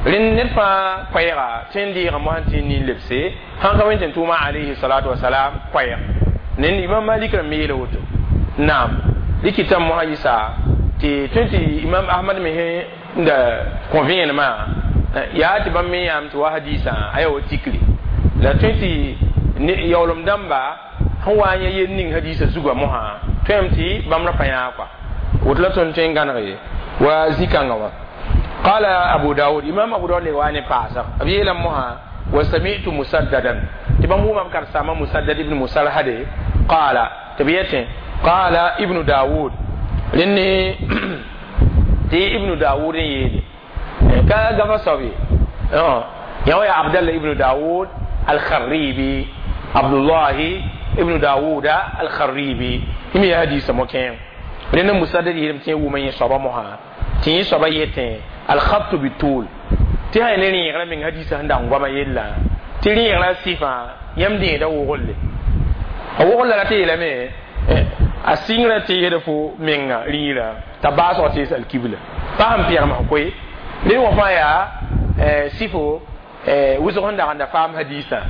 Rẽnd ned fãa koɛɛga tɩ n deega mosã tɩ n nin lebse sãn ka wẽn tɩ tʋʋma alayhi salatu wasalam koɛɛg nend Imam Malik rãmb me yeela woto naam rɩkɩtame mosã yɩsa tɩ tõe tɩ Imam Ahmad me sẽn da kõ vẽenemã yaa tɩ bãmb me yãam tɩ wa hadisã a yaa wa tikri la tõe tɩ yaoolem dãmba sẽn wa n yã yel ning hadisa zugã mosã tõem tɩ bãmb ra pa yãag kɔa woto la tõnd tõe n gãneg ye wa zĩ-kãngã wã. Qala Abu Dawud, Imam Abu Dawud le wa ne paasg b yeelame mosã wa sami'tu Musaddadan tɩ bãmb wʋma b karsaama Musaddad ibn Musarhade qala tɩ b yetẽ qala Ibnu Dawud rẽnd ne tɩ Ibnu Dawud n yeele ka gafa soab ye yã wa yaa Abdallah ibnu Dawud Alkharibi, Abdullahi ibnu Dawuda Alkharibi yẽ me yaa hadisa mo-kẽeng. Rẽnd Musaddad yeelame tɩ yẽ wʋma yẽ soaba mosã tɩ yẽ soaba yetẽ alkhabtu bitul tɩ sã ne rẽegrã meng hadisa sẽn dag n goama yella tɩ rẽegrã sɩfã yãmb dẽeda woglde a wogl la tɩ yeelame a sɩngrã teesda fo menga rĩirã t'a baasg tees alkibla pa sẽn pẽgmã koe rẽ wã fãa yaa sɩfo wʋsg sẽn dag n da faam hadisã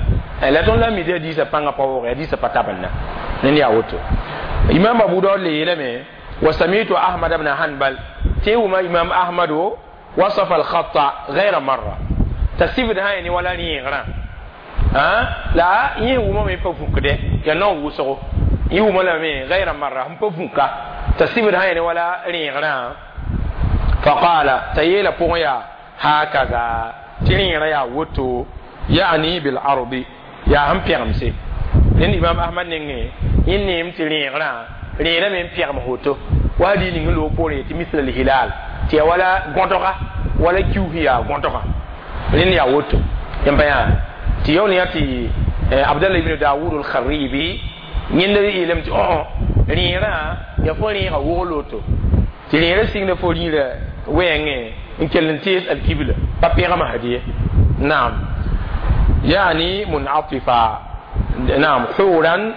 la tõnd la mi tɩ hadisã pãngã pa wʋgẽ hadisã pa tabenda ned yaa woto. Imam Abu Daud le yeelame wa samitu Ahmad ibn Hanbal tɩ wʋma Imam Ahmado wasafa alkhata غير مرة t'a sɩbd sã ne wala rẽegrã la yẽ wʋmame pa vũkdɛ yaa nao wʋsgo yẽ wʋma lame غير مرة sẽn pa vũka t'a sɩbd sã ne wala rẽegrã faqala t'a yeela pʋgẽ yaa hakaza tɩ rẽegrã yaa woto yani bil ardi yaa sẽn pẽgemse. Rẽnd Imam Ahmad nengẽ yẽ neem tɩ rẽegrã rẽerã me n pẽgem woto wa hadis ning loog poorẽ tɩ misl alhilal tɩ yaa wala gõdga wala kius yaa gõdga rẽnd yaa woto yãmba yã tɩ yaool yã tɩ Abdallah ibn Dawud al-Kharibi yẽnd yeelame tɩ õ rẽerã yaa fo rẽega wogl woto tɩ rẽerã sɩngda fo rĩirã wɛɛngẽ n kell n tees alkibla pa pẽgmã hadiye naam yani munatifa naam huran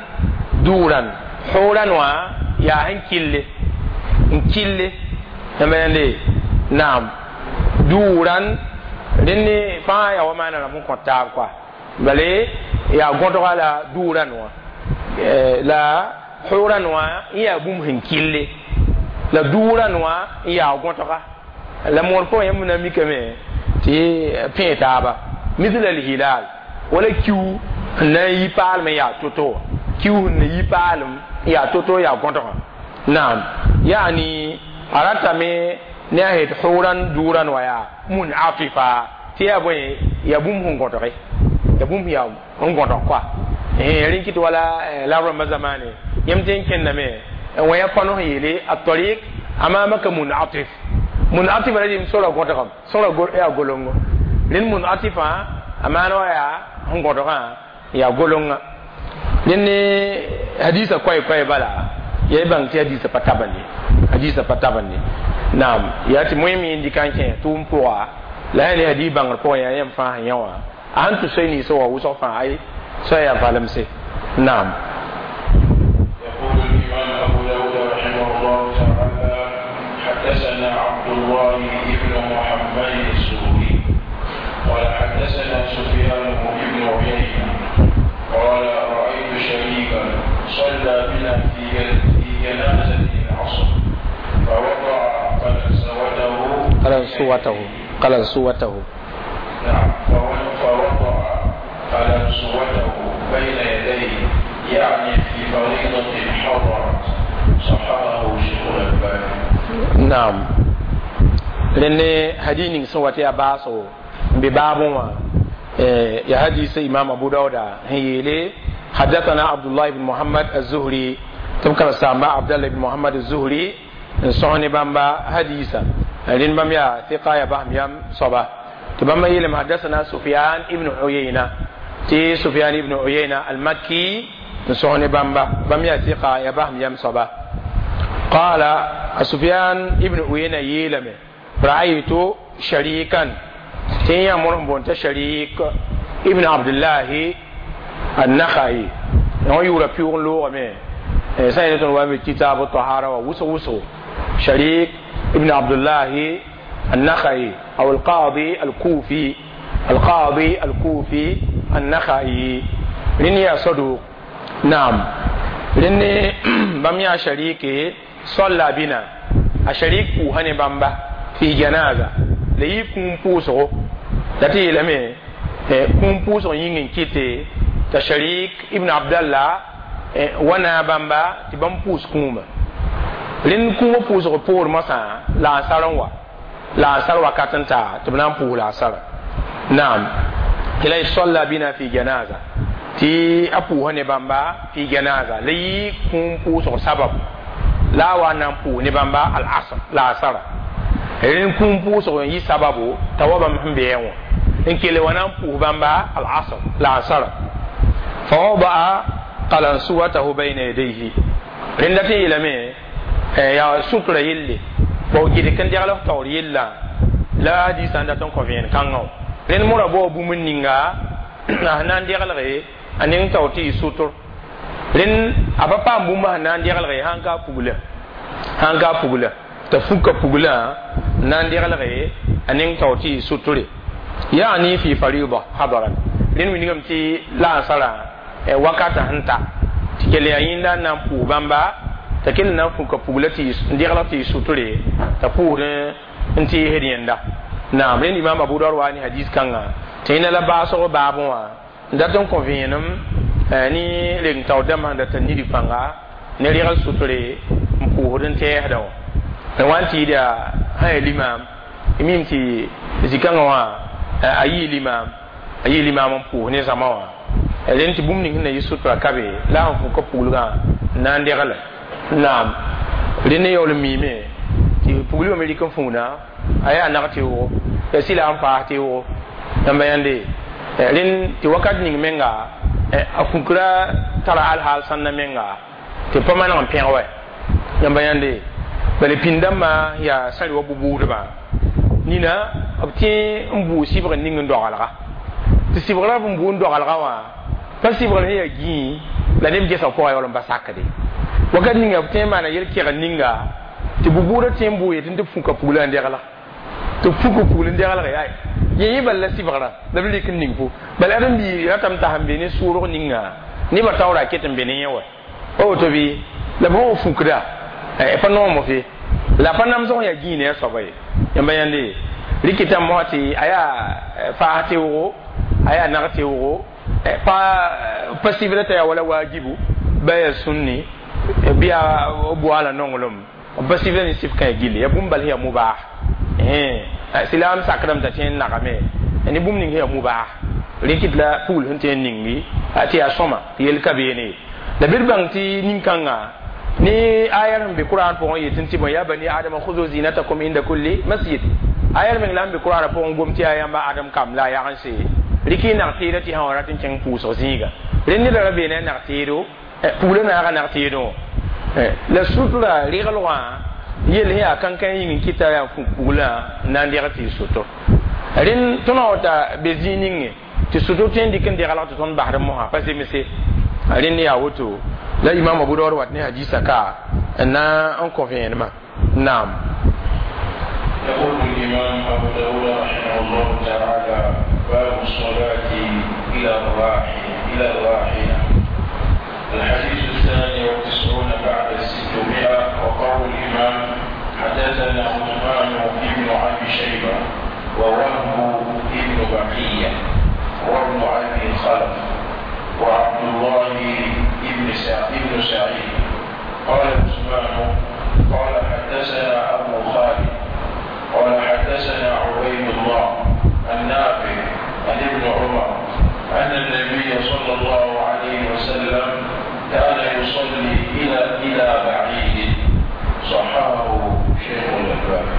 duran huran wã yaa sẽn kille n kille yãmba yãnde naam duran rẽnd fãa yaa wa maana rãmb n kõ taab kɔa bale yaa gõdga la duran wã la huran wã n yaa bũmb sẽn kille La duurã wã n yaa gõtga la moor pʋgẽ yãmb na mikame tɩ pẽ taaba misl alhilal wala kiu sẽn na n yi paalem n yaa to-to wã kiu sẽn na yi paalem n yaa to-to yaa gõtgã naam yaani a ratame ne a het hʋʋran duurã wã yaa munatifa tɩ yaa bõe yaa bũmb sẽn gõtge ya bũmb yaa n gõtg koa rẽn kɩt wala la rãmbã zamaane yãmb tɩ n kẽndame wã ya pano sẽn yeele الطريق أمامك منعطف منعطف la rɩm sora gõtgame sora yaa golongo rẽnd munatifa a maan wa yaa sẽn gõtgã yaa golonga rẽnd ne hadisa koɛ-koɛ bala ya y bãng tɩ hadisa pa tabande hadisa pa tabande naam yaa tɩ moẽ me n dɩka n kẽ tʋʋm pʋga la yaa ne hadis bãngr pʋgẽ yaa yãmb fãa sẽn yã wã a sẽn tʋ soy ninsã wa wʋsg fãa ay soa yaa valemse naam. يقول الإمام أبو داود رحمه الله تعالى: حدثنا عبد الله بن محمد الزهري قال حدثنا سفيان بن عيينة قال رأيت شريكا صلى بنا في في جنازة العصر فوضع قلنسوته. قلنسوته قلنسوته. نعم، فوضع قلنسوته بين يديه، يعني في فريضة حضرت. صححه شيخ الألباني. Naam, rẽnd hadis ning sẽn wa tɩ yaa baasgo n be baabẽ wã ya hadis imam Abu Dauda sẽn yeele: حدثنا عبد الله بن محمد الزهري tɩ b karem-saamba Abdallah ibn Muhammad الزهري n sõs ne bãmba hadisa rẽnd bãmb yaa ثقة ya basem yam soaba tɩ bãmba yeelame: حدثنا سفيان ابن عيينة tɩ سفيان ابن عيينة المكي n sõs ne bãmba bãmb yaa ثقة ya basem yam soaba قال سفيان ابن عيينة yeelame: رأيت شريكا tɩ yã mor n boonta Sharik ibn Abdullahi النخعي wã yʋʋra pɩʋg n loogame sã n tõnd wa n be kitab الطهارة wa wʋsg wʋsgo Sharik ibn Abdullahi النخعي أو القاضي الكوفي القاضي الكوفي النخعي rẽnd yaa صدوق نعم rẽnd bãmb yaa Shariki صلى بنا a Sharik pʋʋsa ne bãmba في جنازة la yɩ kũum pʋʋsgo la tɩ yeelame kũum pʋʋsg yĩng n kɩte t'a Sharik ibn Abdallah wa na bãmba tɩ bãmb pʋʋs kũuma rẽnd kũumã pʋʋsg poor moasã la ansar n wa la ansar wakat n taa tɩ b na n pʋʋs la ansara naam tɩ la صلى بنا في جنازة tɩ a pʋʋsa ne bãmba في جنازة la yɩ kũum pʋʋsg sabab la a wa na n pʋʋs ne bãmba العصر la asara rẽnd kũum pʋʋsg n yɩ sababu t'a wa bãmb sẽn beẽ wã n kele wa na n pʋʋs bãmba العصر la ansara فوضع قلنسوته بين يديه rẽnda tɩ yeelame yaa sutra yelle bao gɩd n degl f taoor yella la hadisã n dat n kõ vẽen kãngã wã rẽnd mora bao bũmb ninga a na n deglge a neng taoor tɩ yɩ sʋtr rẽnd a pa paam bũmb sẽn na n deglge sãn ka pugla sãn ka pugla t'a fuka puglã n na n deglge a neng taoor tɩ yɩ sʋtre يعني في فريضة حضرت rẽnd wilgame tɩ la ansarã wakata sẽn ta tɩ kell yaa yĩnda n na n pʋʋs bãmba t'a kell na n fũka pugla tɩ n degl tɩ yɩ sʋtre t'a pʋʋsd n teesd yẽnda naam rẽnd imam Abu Daud wa ne hadis kãnga tɩ yẽnda la baasg baabẽ wã n dat n kõ vẽenem ne reng taoor dãmbã sẽn dat n nidg pãnga ne regl sʋtre n pʋʋsd n tɛɛsdã wã n wa n tɩ yɩda sã yaa limaam mim tɩ zĩ-kãngã wã a yɩ limaam a yɩ limaam n pʋʋs ne zãma wã rẽnd tɩ bũmb ning sẽn na yɩ sutra ka be la sẽn fʋka puglgã n na n degle naam rẽnd yaool n miime tɩ puglbã me rɩk n fũuna a yaa nag tɩʋgo ya sɩla n paas tɩʋgo yãmba yãnde rẽnd tɩ wakat ning menga a fũkra tara alhaal sãnda menga tɩ pa maneg n pẽg wɛ yãmba yãnde bala pĩnd-dãmbã yaa sã wa bu-buudbã nina b tẽ n buu sɩbg ning n dogalga tɩ sɩbgrã b n buu n dogalga wã pa sɩbgr sẽn yaa gĩi la neb gesa pʋgã yaool n pa sakde wakat ninga b tẽ n maana yel-kɛgd ninga tɩ bu-buudã tẽ n buu yetɩ tɩ b fũka pugla n degla tɩ b fuka pugl n deglge ay yẽ yẽ bal la sɩbgrã la b rɩk n ning fo bala ad n bii ratame t'a sẽn be ne sʋʋrg ninga nebã taoora ket n be ne yẽ wa pa woto bɩ la b sẽn fũkda pa noom fe La pa namsg yaa gĩig ne a soaba ye. Yãmba yãnde rɩkɩta mosã tɩ a yaa faas teoogo, a yaa nag teoogo, pa pa sɩbra t'a yaa wala waajibu ba yaa sũnni bɩ yaa boala nonglem, pa sɩbra ne sɩf kãe gilli, yaa bũmb bal sẽn yaa mubah. Silaam sakdame t'a tõe n nagame ne bũmb ning sẽn yaa mubah, rɩkɩt la pugl sẽn tõe n ningi tɩ yaa sõma tɩ yell ka beene ye. La bɩ d bãng tɩ nin-kãngã ne aya sẽn be Kurãn pʋgẽ yetɩ tɩ bõe, ya bani adama khuzu zinatakum inda kulli masjid. Aya meng la n be Kurãnã pʋgẽ gom tɩ yaa yãmba Adam kam la a yag n se rɩk y nag teeda tɩ sã wa rat n kẽng pʋʋsg zĩiga. Rẽ neda ra beene a nag teedo, pugla naaga nag teedẽ wã la sutra reglgã yell sẽn yaa kãnkã yĩng n kɩta yaa puglã n na n deg tɩ y sʋtr. Rẽnd tõnd wa ta be zĩig ninge tɩ sʋtr tõe n dɩk n deglg tɩ tõnd basd mosã pa zemse. Rẽnd yaa woto la Imam Abu Dawud wat ne hadisa ka n na n kõ vẽenemã. Naam. يقول الإمام أبو داود رحمه الله تعالى: باب الصلاة إلى الراحلة إلى الراحلة. الحديث الثاني والتسعون بعد الستمائة. وقول الإمام: حدثنا عثمان بن أبي شيبة ووهب بن بقية وابن أبي خلف وعبد الله بن بن سعيد. قال عثمان: قال حدثنا أبو خالد قال حدثنا عبيد الله النافع عن ابن عمر أن النبي صلى الله عليه وسلم كان يصلي إلى إلى بعيد. صححه شيخ الألباني.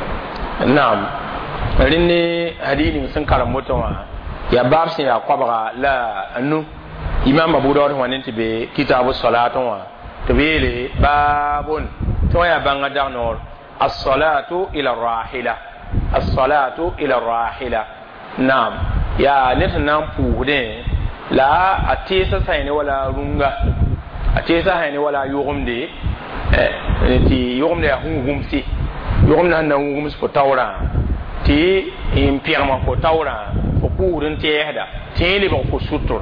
Naam, rẽnd hadith ning sẽn karem woto wã yaa baab sẽn yaa koabga la a nu. Imam Abu Dawud wã ne tɩ be kitabu salat wã tɩ b yeele baabun tɩ wã yaa bãnga dag noor as-salatu ila rahila, as-salatu ila rahila. Naam, yaa ned sẽn na n pʋʋsdẽ la a teesa sã ne wala rũnga, a teesa sã ne wala a yʋgemde, tɩ yʋgemda yaa hũugumse, yʋgemda sẽn na n wugms fo taoorã tɩ n pẽgma fo taoorã fo pʋʋsd n tɛɛsda tɩ yẽ lebg fo sʋtr.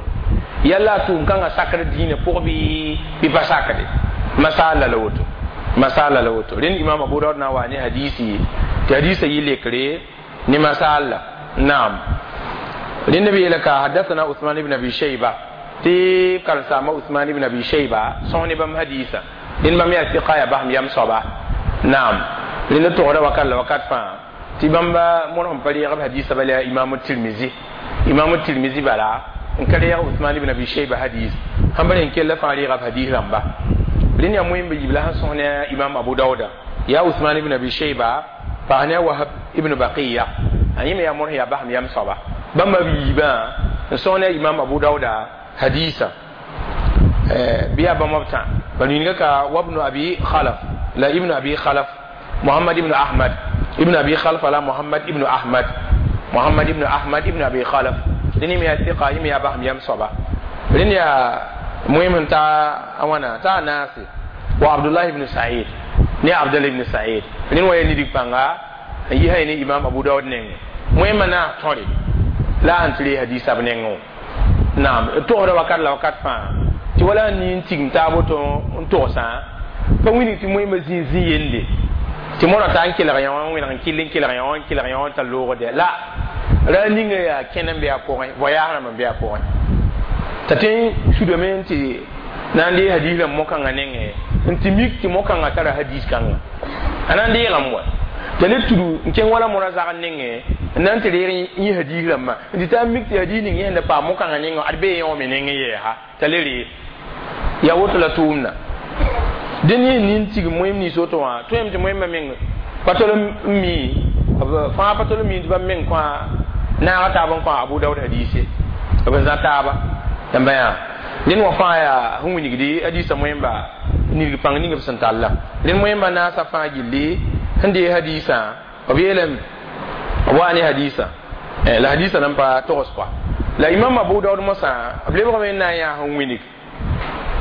Yalla a tʋʋm kãngã sakd dĩinã pʋg bɩ bɩ pa sakde, masaala la woto, masaala la woto. Rẽnd Imam Abu Daud na n wa ne hadisi tɩ hadisa yɩ lekre ne masaala. Naam, rẽnd b yeela ka hadathana Usman ibn Abi Shayba, tɩ karen-saamba Usman ibn Abi Shayba sõs ne bãmb hadisa. Rẽnd bãmb yaa sɩka, yaa basem yam soaba. Naam, rẽnd togda wakat la wakat fãa tɩ bãmba mõr sẽn pa reeg b hadisa bala yaa Imam Tirmizi. Imam Tirmizi bala n ka reeg Usman ibn Abi Shayba hadis sãn pa rẽn kella fãa reega b hadis rãmba. Rẽnd yaa moẽmba yiib la sẽn sõs ne Imam Abu Dauda yaa Usman ibn Abi Shayba paas ne a Wahab ibn Baqiya, a yẽ me yaa mõr sẽn yaa basem yam soaba. Bãmba b yiibã n sõs ne Imam Abu Dauda hadisa bɩ yaa bãmb b tã ba ninga ka wabnu Abi Khalaf la Ibnu Abi Khalaf Muhammad ibn Ahmad ibn Abi Khalaf la Muhammad ibn Ahmad, Muhammad ibn Ahmad ibn Abi Khalaf. Rẽnd me yaa sɩka, yẽ me yaa basem yam soaba. Rẽnd yaa moem n ta a wãna t'a a naase wa Abdullah ibn Said ne Abdullah ibn Said. Rẽnd wa yaa nidig pãnga n yisa ne Imam Abu Daud nengẽ moẽmã naas tõre la a sẽn tɩ ree hadisa b nengẽ. Naam, d togsda wakat la wakat fãa tɩ wala n ning n tigim taab woto n togsã pa wilg tɩ moẽmã zĩig zĩ yende tɩ modã t'a n kelg yã wã n wẽneg n kell n kelg yã wã n kelg yã wã n tar loogde la ra ninga yaa kẽn n be a pʋgẽ, voyage rãmb n be a pʋgẽ t'a tõe n sudame n tɩ na n dee hadis rãmb mo-kãngã nengẽ n tɩ mik tɩ mo-kãngã tara hadis kãnga a na n deegame wa t'a le tudu n kẽng wala modã zagr nengẽ n na n tɩ reeg yẽ hadis rãmbã n tɩ taa mik tɩ hadis ning yẽ sẽn da paam mo-kãngã nengẽ ad bee yẽ wã me nengẽ yɛɛsa t'a le ree yaa woto la tʋʋmda. Dẽn yẽ nin tigim moẽm nins woto wã tõeme tɩ moẽmbã meng pa tol n mi fãa pa tol n mi tɩ bãmb meng kõa naaga taab n kõ Abu Daud hadise b n zã taaba. Yãmba yaa rẽnd wã fãa yaa sẽn wilgdi hadisa moẽmba nidg pãng ning b sẽn talla. Rẽnd moẽmbã naasã fãa gilli sẽn dee hadisã b yeelame b waa ne hadisa la hadisa nan pa togs kɔa la Imam Abu Daud mosã b lebgame n na n yaa sẽn wilg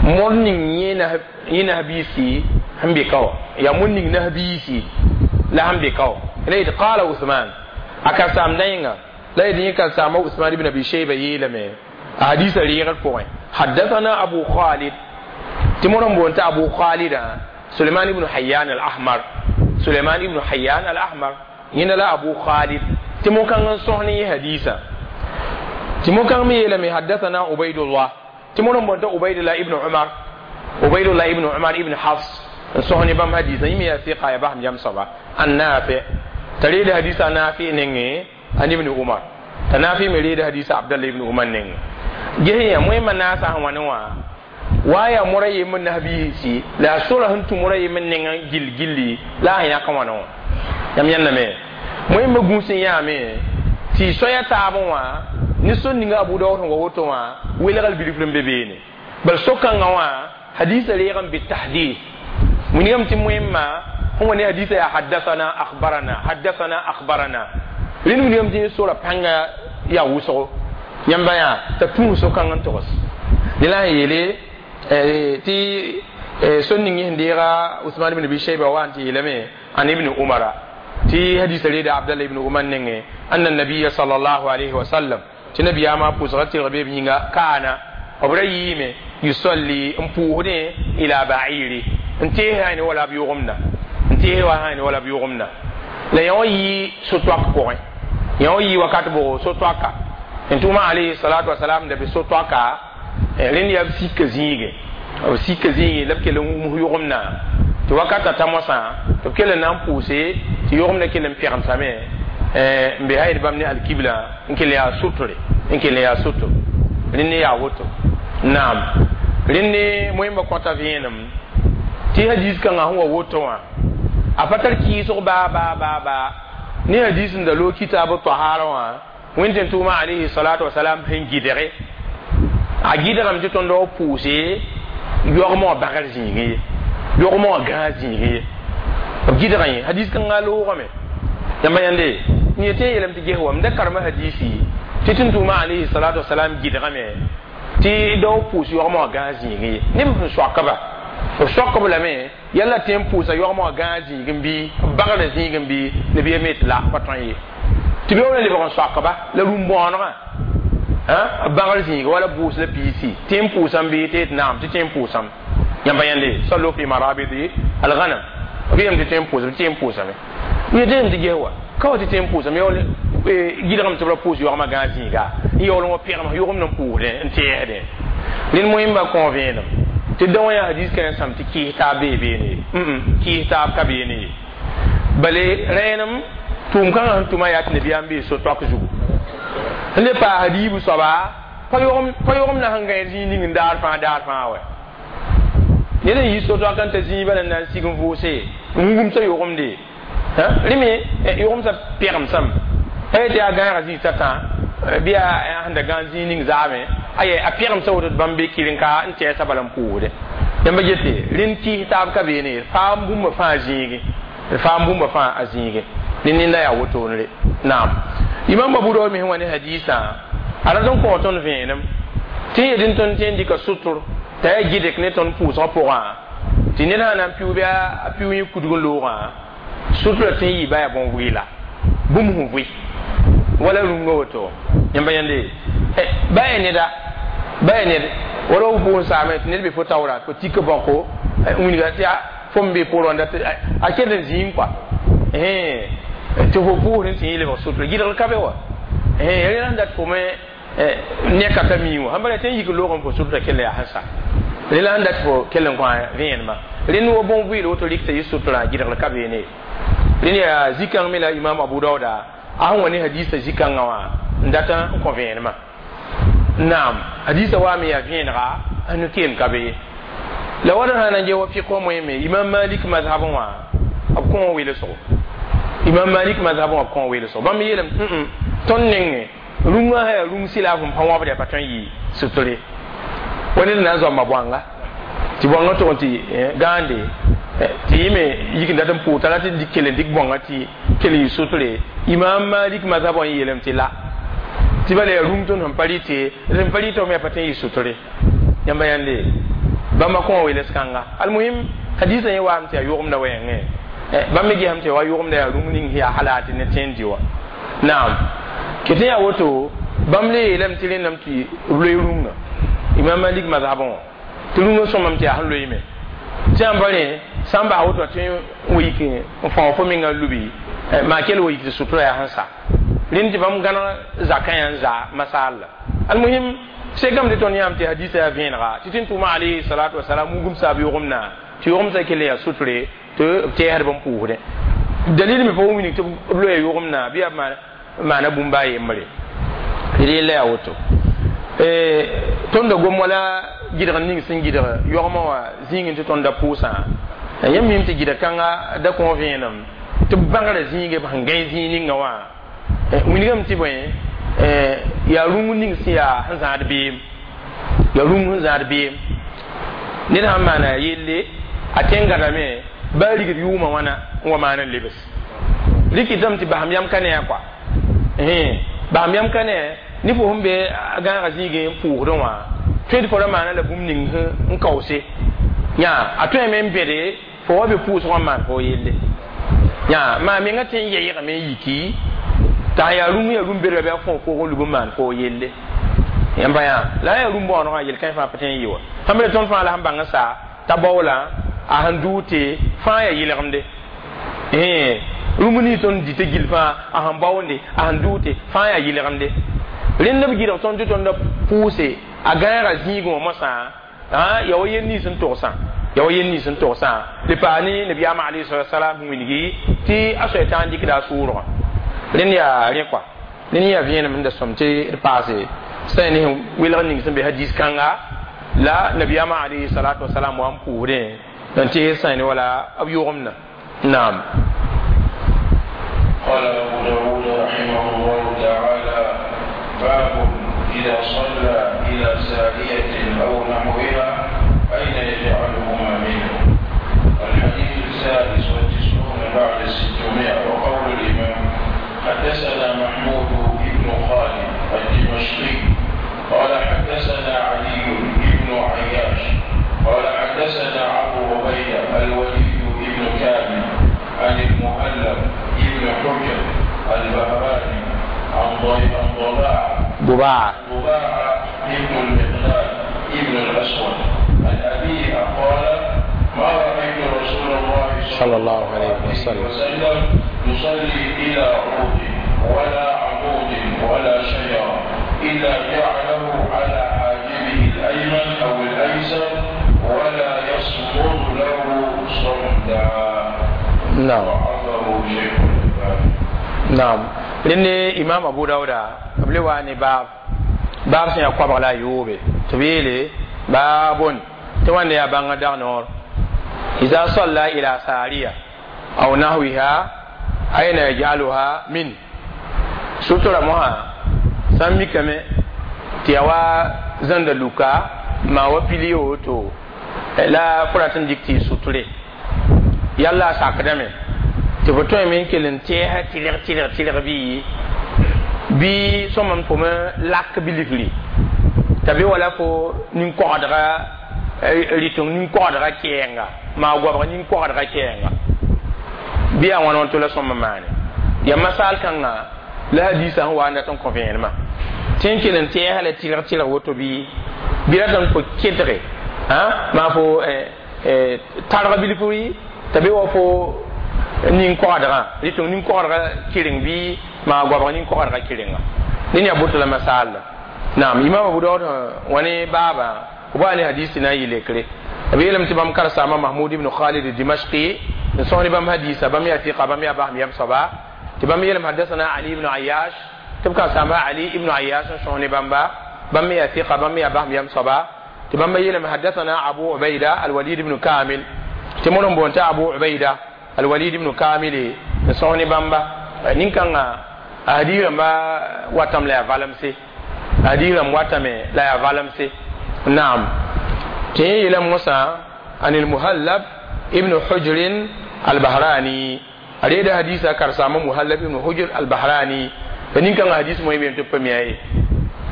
mõr ning yẽ nasbiisi sẽn be ka wã yaa mõr ning nasbiisi la sẽn be ka wã la yetɩ qala Usman a ka saamda yẽnga la yetɩ yẽ ka saamba Usman ibn Abi Shayba yeelame a hadisa reegr pʋgẽ hadathana Abu Khalid tɩ mõr n boond tɩ Abu Khalida Suleiman ibn Hayyan al-Ahmar. Suleiman ibn Hayyan al-Ahmar yẽnda la Abu Khalid tɩ mo-kãng n sõs ne yẽ hadisa tɩ mo-kãng me yeelame haddathana Ubaydullah tɩ mo n boonta Ubaydullah ibn Umar Ubaydullah ibn Umar ibn Hafs n sõs ne bãmb hadisa yẽ me yaa sɩka yaa basem yam soaba an Nafi t'a reeda hadisa Nafi nengẽ an ibn Umar t'a Nafi me reeda hadisa Abdallah ibn Umar nengẽ ges yã moẽmã naasã sẽn wa ne wã wa yaa mora yembr nasbiisi la a sora sẽn tũ mora yembr nengã gill gilli la a sẽn yãk wãna wã yãmb yãndame moẽmbã gũus n yãame tɩ soaya taabẽ wã ne sor ninga Abu Dawud sẽn wa woto wã welgl bilfr n be beene bal so-kãngã wã hadisa reeg n be tahdith wilgame tɩ moẽmbã sẽn wa ne hadisa yaa haddathana akhbarana haddathana akhbarana rẽnd wilgame tɩ sora pãnga yaa wʋsgo yãmba yaa t'a tũus so-kãng n togs ne la sẽn yeele tɩ sor ning sẽn deega Usman ibn Abi Shayba wa n tɩ yeelame an ibn Umara tɩ hadisa reeda Abdallah ibn Umar nengẽ anna nabiya sallallahu alayhi wa sallam tɩ nabiyaamã pʋsga tɩlg beeb yĩnga kaana b ra yiime yusalli n pʋʋsdẽ ila ba'iri n tees ne wala b yʋgemda n tees wa ne wala b yʋgemda la yã wã yɩ so-toak pʋgẽ yã wã yɩ wakat bʋgo so-toaka n tʋma alayhi salatu wasalam da be so-toaka rẽnd yaa b sika zĩige b sika zĩige la b kell n wums yʋgemdã tɩ wakata ta moasã tɩ b kell n na n pʋʋse tɩ yʋgemdã kell n pɛgemsame n be hayd bãmb ne alkibla n kell yaa sotre n kell yaa soto rẽnd yaa woto naam rẽnd moẽmbã kõta vẽenem tɩ hadis kãngã sẽn wa woto wã a pa tar kɩɩsg baa baa baa baa ne hadis n da loog kitaab tahara wã wẽnd tɩ tʋʋma alayhi salatu wasalam sẽn gɩdge a gɩdgame tɩ tõnd wa pʋʋse yogmã wã bagr zĩigẽ ye yogmã wã gãag zĩigẽ ye b gɩdga yẽ hadis kãngã loogame yãmba yãnde n yetɩ n yeelame tɩ ges wam da karema hadisi tɩ tɩ tʋʋma alayhi salatu wasalam gɩdgame tɩ dao pʋʋs yogmã wã gãag zĩigẽ ye neb sẽn soakba b soakb lame yalla tɩ n pʋʋsa yogmã wã gãag zĩigẽ bɩ b bagrã zĩigẽ bɩ nabiya me tɩ la pa tõe ye tɩ be wala lebg n soakba la rũm-bõonegã b bagr zĩiga wala bʋʋs la piisi tɩ n pʋʋsam bɩ tɩ tɩ naam tɩ tɩ n pʋʋsam yãmba yãnde sallu fi marabidi alghanam b yeelame tɩ tɩ n pʋʋsam tɩ n pʋʋsame yetɩ tɩ ges wa ka wa tɩ tɩ n pʋʋsam yaool gɩdgame tɩ b ra pʋʋs yogmã gãag zĩiga n yaool n wa pɛgem yʋgemd n pʋʋsdẽ n tɛɛsdẽ rẽnd moẽmbã kõ vẽenem tɩ da wã yaa hadis kãens sãm tɩ kɩɩs taab bee beene ye kɩɩs taab ka beene ye bale rẽenem tʋʋm kãngã sẽn tʋma yaa tɩ nabiyaam bee so-toak zugu sẽn le paas diib soaba pa yogem na sẽn gãe zĩig ning n daar fãa daar fãa wɛ ned n yi so-toak n ta zĩig bala n na n sig n vʋʋse n wumsa yʋgemde rẽ me yʋgemsã pɛgemsame pa yetɩ yaa gãagã zĩig tã bɩ yaa sẽn da gãag zĩig ning zaame aya a pɛgemsã woto tɩ bãmb be kɩren-ka n tɛɛsã bala n pʋʋsdẽ yãmba gete rẽnd kɩɩs taab ka beene faam bũmba fãa zĩige faam bũmba fãa a zĩige ne nenda yaa wotone naam imam Abu Dawud me sẽn wa ne hadisã a rat n kõ tõnd vẽenem tɩ yetɩ tõnd tẽ n dɩka sʋtr t'a yaa gɩdg ne tõnd pʋʋsgã pʋgã tɩ ned sã na n piʋ bɩ a piʋ yẽ kudg n loogã sʋtrã tɩ n yɩ ba yaa bõn-vɩɩla bũmb sẽn vɩ wala rũngã woto yãmba yãnde ba yaa neda ba yaa ned wala f pʋʋs saame tɩ ned be fo taoora fo tik bãko wilga tɩ fo n be pʋʋr wã a kell n zĩig kɔa tɩ fo pʋʋsdẽ tɩ yẽ lebg sʋtre gɩdgr ka be wa rẽ sẽn dat fo me neka ka mi wã sãn bara tɩ n yik loog n fo sʋtra kell yaa sẽn sa rẽ la sẽn dat fo kell n kõ vẽenemã rẽnd wa bõn-vɩɩl woto rɩk t'a yɩ sʋtrã gɩdgr ka beene rẽnd yaa zĩ-kãng me la imam Abu Dauda a sẽn wa ne hadisa zĩ-kãngã wã n dat n kõ vẽenemã naam hadisa wa me yaa vẽenega a nu-keem ka be ye la wad sã na n ges wa fiq wã moẽ imam Malik mazhabẽ wã b kõ wã welsgo imam Malik mazhabẽ wã b kõ welsgo bãmb yeelame tõnd nengẽ rũngã sã yaa rũng sɩla fõm pa wãbd yaa pa tõe n yɩ sʋtre wa ned na n zoamba bõanga tɩ bõangã tʋg n tɩ gãande tɩ yẽ me yik n dat n pʋʋs t'a rat n dɩk kell n dɩk bõangã tɩ kell n yɩ sʋtre imam Malik mazhab wã n yeelame tɩ la tɩ bala yaa rũng tõnd sẽn pa rɩte sẽn pa rɩta me yaa pa tõe n yɩ sʋtre yãmba yãnde bãmba kõ wã weels kãnga almuhim hadisã yẽ waame tɩ yaa yʋgemda wɛɛngẽ bãmb me gesame tɩ wa yʋgemda yaa rũng ning yaa halal tɩ ne tẽn dɩ wã naam ket yaa woto bãmb le yeelame tɩ rẽndame tɩ b loe rũngã imam Malik mazhabẽ wã tɩ rũngã sõmame tɩ yaa sẽn loeeme tɩ Tɩ yãmb rẽ sã n bas woto tɩ n wa yik n fão fo menga n lubi maa kell wa yik tɩ sutura yaa sẽn sa rẽnd tɩ bãmb gãneg zakã yaa n za masaal la almuhim sekame tɩ tõnd yãam tɩ hadisa yaa vẽenega tɩ tɩ n tʋʋma alayhi salatu wasalam wugum saab yogem-na tɩ yogem-sã kell n yaa sutre tɩ b tɛɛsd bãmb pʋʋsdẽ dalil me pa wilg tɩ b loya yogem-na bɩ yaa maana bũmb a yembre d yella yaa woto tõnd da gom wala gɩdg ning sẽn gɩdg yogmã wã zĩigẽ tɩ tõnd da pʋʋsã yãmb mim tɩ gɩdg kãnga da kõ vẽenem tɩ b bãngrã zĩige b sẽn gãe zĩig ninga wã wilgame tɩ bõe yaa rũng ning sẽn yaa sẽn zãad beem yaa rũng sẽn zãad beem ned sãn maana yelle a tẽn gãdame baa rigd yʋʋmã wãna n wa maan n lebs rɩkɩtame tɩ basam yam ka ne a kɔa basam yam ka ne ne fo sẽn be a gãagã zĩigẽ n pʋʋsdẽ wã tõe tɩ fo ra maana la bũmb ning n kaoose yã a tõeme n bẽde fo wa be pʋʋsgã n maan fo yelle yã maa menga tẽ n yɛɛgame n yiki t'a yaa rũm yaa rũm bedba bɩ a fõ foog n lub n maan fo yelle yãmba yã la a yaa rũm bõonegã yel-kãe fãa pa tẽ n yɩ wa sãn be tõnd fãa la sẽn bãng n sa t'a baoola a sẽn dʋʋ tɩ fãa yaa yɩlgemde rũm ning tõnd dɩtã gill fãa a sẽn baoonde a sẽn dʋʋ tɩ fãa yaa yɩlgemde rẽnd b gɩdg tõnd tɩ tõnd pʋʋse a gãagã zĩigẽ wã mosã yaa wa yel nins n togsã yaa wa yel nins n togsã le paa ne nabiyaamã alayhi salatu wasalam wilgi tɩ a soay tã n dɩkda a sʋʋrgã rẽnd yaa rẽ kɔa rẽnd yaa vẽenem n da sõm tɩ d paase sã ne welg ning sẽn be hadis kãnga la nabiyaamã alayhi salatu wasalam wa n pʋʋsdẽ n tɩ sã ne wala b yʋgemdã naam. قال أبو داود رحمه الله تعالى: باب إذا صلى إلى سارية أو نحوها أين يجعلهما منه. الحديث السادس والتسعون بعد الستمائة. وقول الإمام: حدثنا محمود بن خالد الدمشقي قال حدثنا علي بن عياش قال حدثنا أبو عبيدة الوليد بن كامل عن المهلب بن حجر البهراني عن ضباعة ضباعة ضباعة ابن المقداد ابن الأسود عن أبيه قال: ما رأيت رسول الله صلى الله عليه وسلم وسلم يصلي إلى عود ولا عمود ولا شجرة إلا جعله على حاجبه الأيمن أو الأيسر ولا يصمد له صمدا. نعم. وعظه شيخ الألباني. Naam, rẽnd imam Abu Dauda b le wa ne baab baab sẽn yaa koabg la a yoobe tɩ b yeele baabon tɩ wãnda yaa bãngã dag noor ida salla ila sariya aw nahwiha aina yaj'aluha min sutura mosã sã n mikame tɩ ya wa zãnda luka maa wa pili woto la fo rat n dɩk tɩ y suture yalla a sakdame tɩ fo tõeme n kell n tɛɛsã tɩlg tɩlg tɩlg bɩ bɩ sõma n fo me lak bilifri t'a be wala fo nin-kogdga rɩteng nin-kogdga kɛɛnga maa goabg nin-kogdga kɛɛnga bɩ yaa wãn wãn tɩ la sõma maane yaa masaal kãnga la hadisa sẽn wa n dat n kõ vẽenemã tɩ n kell n tɛɛsã la tɩlg tɩlg woto bɩ bɩ ratame fo kẽdge maa fo targ bilifri t'a be wa fo nin-kogdgã rɩteng nin-kogdga kɩreng bɩ maa goabg nin-kogdga kɩrenga ned yaa boto la masaal la naam imam Abu Daud wã ne baabã b wa ne hadis tɩ na n yɩ lekre b yeelame tɩ bãmb karsaama Mahmud ibn Khalid Dimashqi n sõs ne bãmb hadisa bãmb yaa tɩqa bãmb yaa basem yam soaba tɩ bãmb yeelame hadasana Ali ibn Ayash tɩ b karsaama Ali ibn Ayash n sõs ne bãmba bãmb me yaa tɩqa bãmb me yaa basem yam soaba tɩ bãmb yeelame hadasana Abu Ubaida Alwalid ibn Kamil tɩ mod n boon t'a Abu Ubaida Alwalid ibn Kamil n sõs ne bãmba nin-kãngã a hadis rãmba watame la yaa valemse hadis rãmb watame la yaa valemse naam tɩ yẽ yeelame mosã an almuhallab ibn Hujr Albahrani a reeda hadisa karsaama Muhallab ibn Hujr Albahrani la nin-kãngã hadis moẽ beem tɩ b pa mi-a ye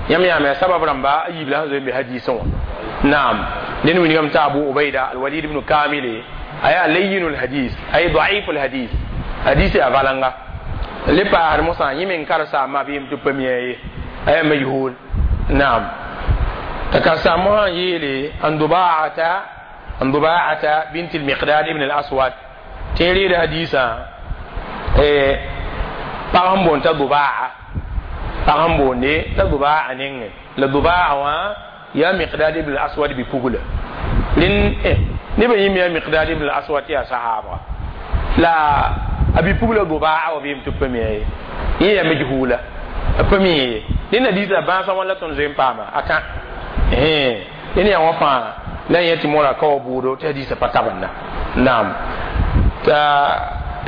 yãmb yaame sabab rãmba a yiib la sẽn zoe n be hadisẽ wã naam ned wilgame t'a Abu Ubaida Alwalid ibn Kamile a yaa layinu lhadis ay daif lhadis hadis yaa valanga le paasd mosã yẽ me n karsaama b yem tɩ b pa mi-a ye a yaa majhul naam t'a karsaam mosã n yeele an Dubaata عن ضباعة بنت المقداد ابن الأسود تيري حديثا pag n boond t'a dubaa pag n boonde t'a dubaa nengẽ la dubaa wã yaa miqdad ibn al-aswad bi-pugla rẽnd nebã yĩm yaa miqdad ibn al-aswad tɩ yaa sahaabga la a bi-pugla dubaa wa beem tɩ b pa mi ye yẽ yaa majhula a pa mi ye rẽnd hadiisã bãasã wã la tõnd zoe n paama a tã rẽnd yaa wã fãa la yẽ tɩ mora ka wa bʋʋdo tɩ hadiisã pa tabenda naam t'a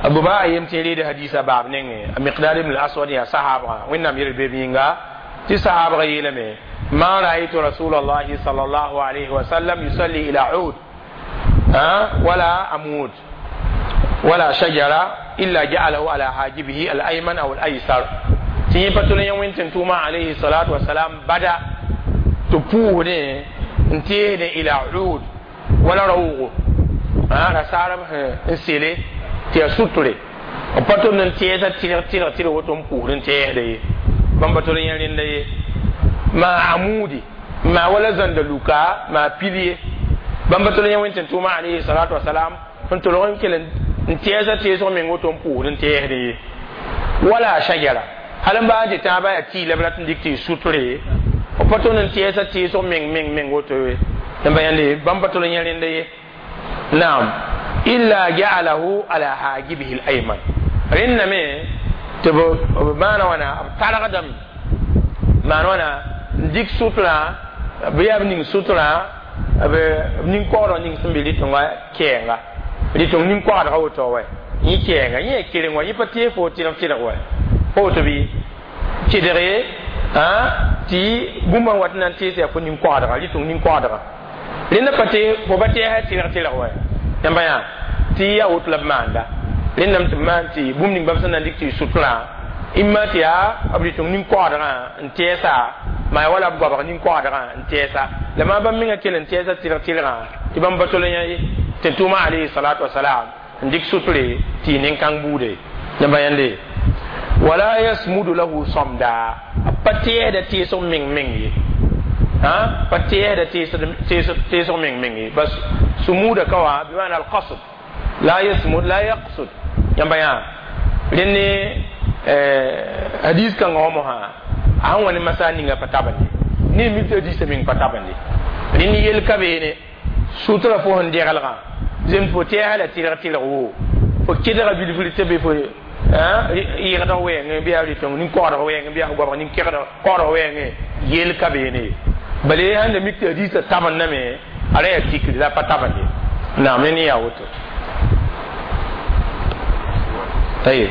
abuba yem tɩ reed hadisa baab nengẽ a miqdad ibn al-aswad yaa sahaabgã wẽnnaam yel beeb yĩnga tɩ sahaabgã yeelame ma raaytu rasul allahi sal allahu alayhi wa sallam yusalli ila ud wala amud wala shajara illa ja'alahu ala hajibihi al-ayman aw al-aysar tɩ yẽ pa tol yẽ wẽn tɩ tʋʋma alayhi salatu wasalam bada tɩ pʋʋsdẽ n teesdẽ ila ud wala raoogo rasaarb n sele tɩ yaa sutre b pa tʋmd n tẽesa tɩlg tɩlg tɩlg woto n pʋʋsd n tẽesda ye bãmb pa tol yẽ rẽnda ye maa amudi maa wala zãnda luka maa pil ye bãmb pa tol yẽ wẽn tɩ tʋʋma alayhi salatu wasalam n tolg n kell n tẽesa teesg meng woto n pʋʋsd n tẽesd ye wala shajara hal n baa n tɩ tãabã yaa tɩɩ la b rat n dɩk tɩ y sutre b pa tõnd n tẽesa teesg meng meng meng woto ye yãmba yãnde bãmb pa tol yẽ rẽnda ye naam illa ja'alahu ala hajibihi al-ayman rẽnna me tɩ b maana wãna b targdame maan wãna n dɩk sutrã bɩ yaa b ning sutrã b nin-koogdg ning sẽn be rɩtõnga kɛɛnga rɩtõng nin-koagdga woto wɛ yẽ kɛɛnga yẽ yaa kereng wa yẽ pa tee fo tɩlg tɩlg wɛ pa woto bɩ kɩdge tɩ bũmb n wat n na n tees yaa fo nin-koagdga rɩtõng nin-koagdga rẽnda pa tee fo pa tɛɛsã tɩlg tɩlg wɛ yãmba yã tɩ yaa woto la b maanda rẽndame tɩ b maan tɩ bũmb ning bãmb sẽn na n dɩk tɩ y sutrã imma tɩ yaa b rɩtõng nin-koagdgã n tɛɛsa maa wala b goabg nin-koagdgã n tɛɛsa la maa bãmb menga kell n tɛɛsa tɩlg tɩlgã tɩ bãmb pa tol yã ye tɩ tʋʋma alayhi salatu wasalam n dɩk sutre tɩ y nin-kãng buude yãmba yãnde wala yasmudu lahu samda b pa tɛɛsda teesg meng meng ye pa tɛɛsda teesg meng meng ye bas sumuda kawa bimana alqasd la yasmud la yaqsud yãmba yã rẽnd hadis kãngã wã mosã a sẽn wa ne masa ninga pa tabende ne mi tɩ hadisã meng pa tabende rẽnd yel ka beene sutra fo sẽn degelgã zem fo tɛɛsã la tɩlg tɩlg wo fo kɩdga bilfr tɩ be fo yɩgdg wɛɛngẽ bɩ yaa rɩtõng nin-koogdg wɛɛngẽ bɩ yaa goabg nin-kegd koogdg wɛɛngẽ yel ka beene bala sãn da mik tɩ hadisã tabendame a ra yaa tikri la pa tabende naam ne yaa woto tayeb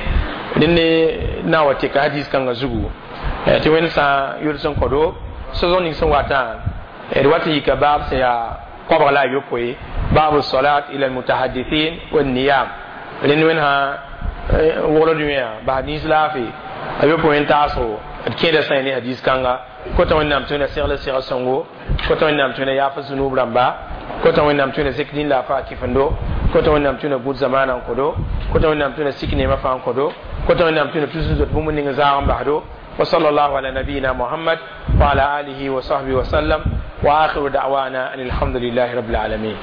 rẽnd na wa tɩka hadis kãngã zugu tɩ wẽnd sã yʋls n kõdo sosg ning sẽn watã d wat n yika baab sẽn yaa koabg la a yopoe baabu salat ila almutahadithin wanniyam rẽnd wẽnd sã wogld wẽa bas nins laafɩ a yopoe n taasgo d kẽeda sã ne hadis kãnga kota wẽnnaam tɩ wẽnna segl sega sõngo kota wẽnnaam tɩ wẽnna yaaf zunub rãmba kota wẽnnaam tɩ wẽnna zek dĩn la a faa kɩfendo kota wẽnnaam tɩ wẽnna gũud zamaana n kõdo kota wẽnnaam tɩ wẽnna sik neemã fãa n kõdo kota wẽnnaam tɩ wẽnna tus n zot bũmb ning zaag n basdo وصلى الله على نبينا محمد وعلى آله وصحبه وسلم وآخر دعوانا أن الحمد لله رب العالمين.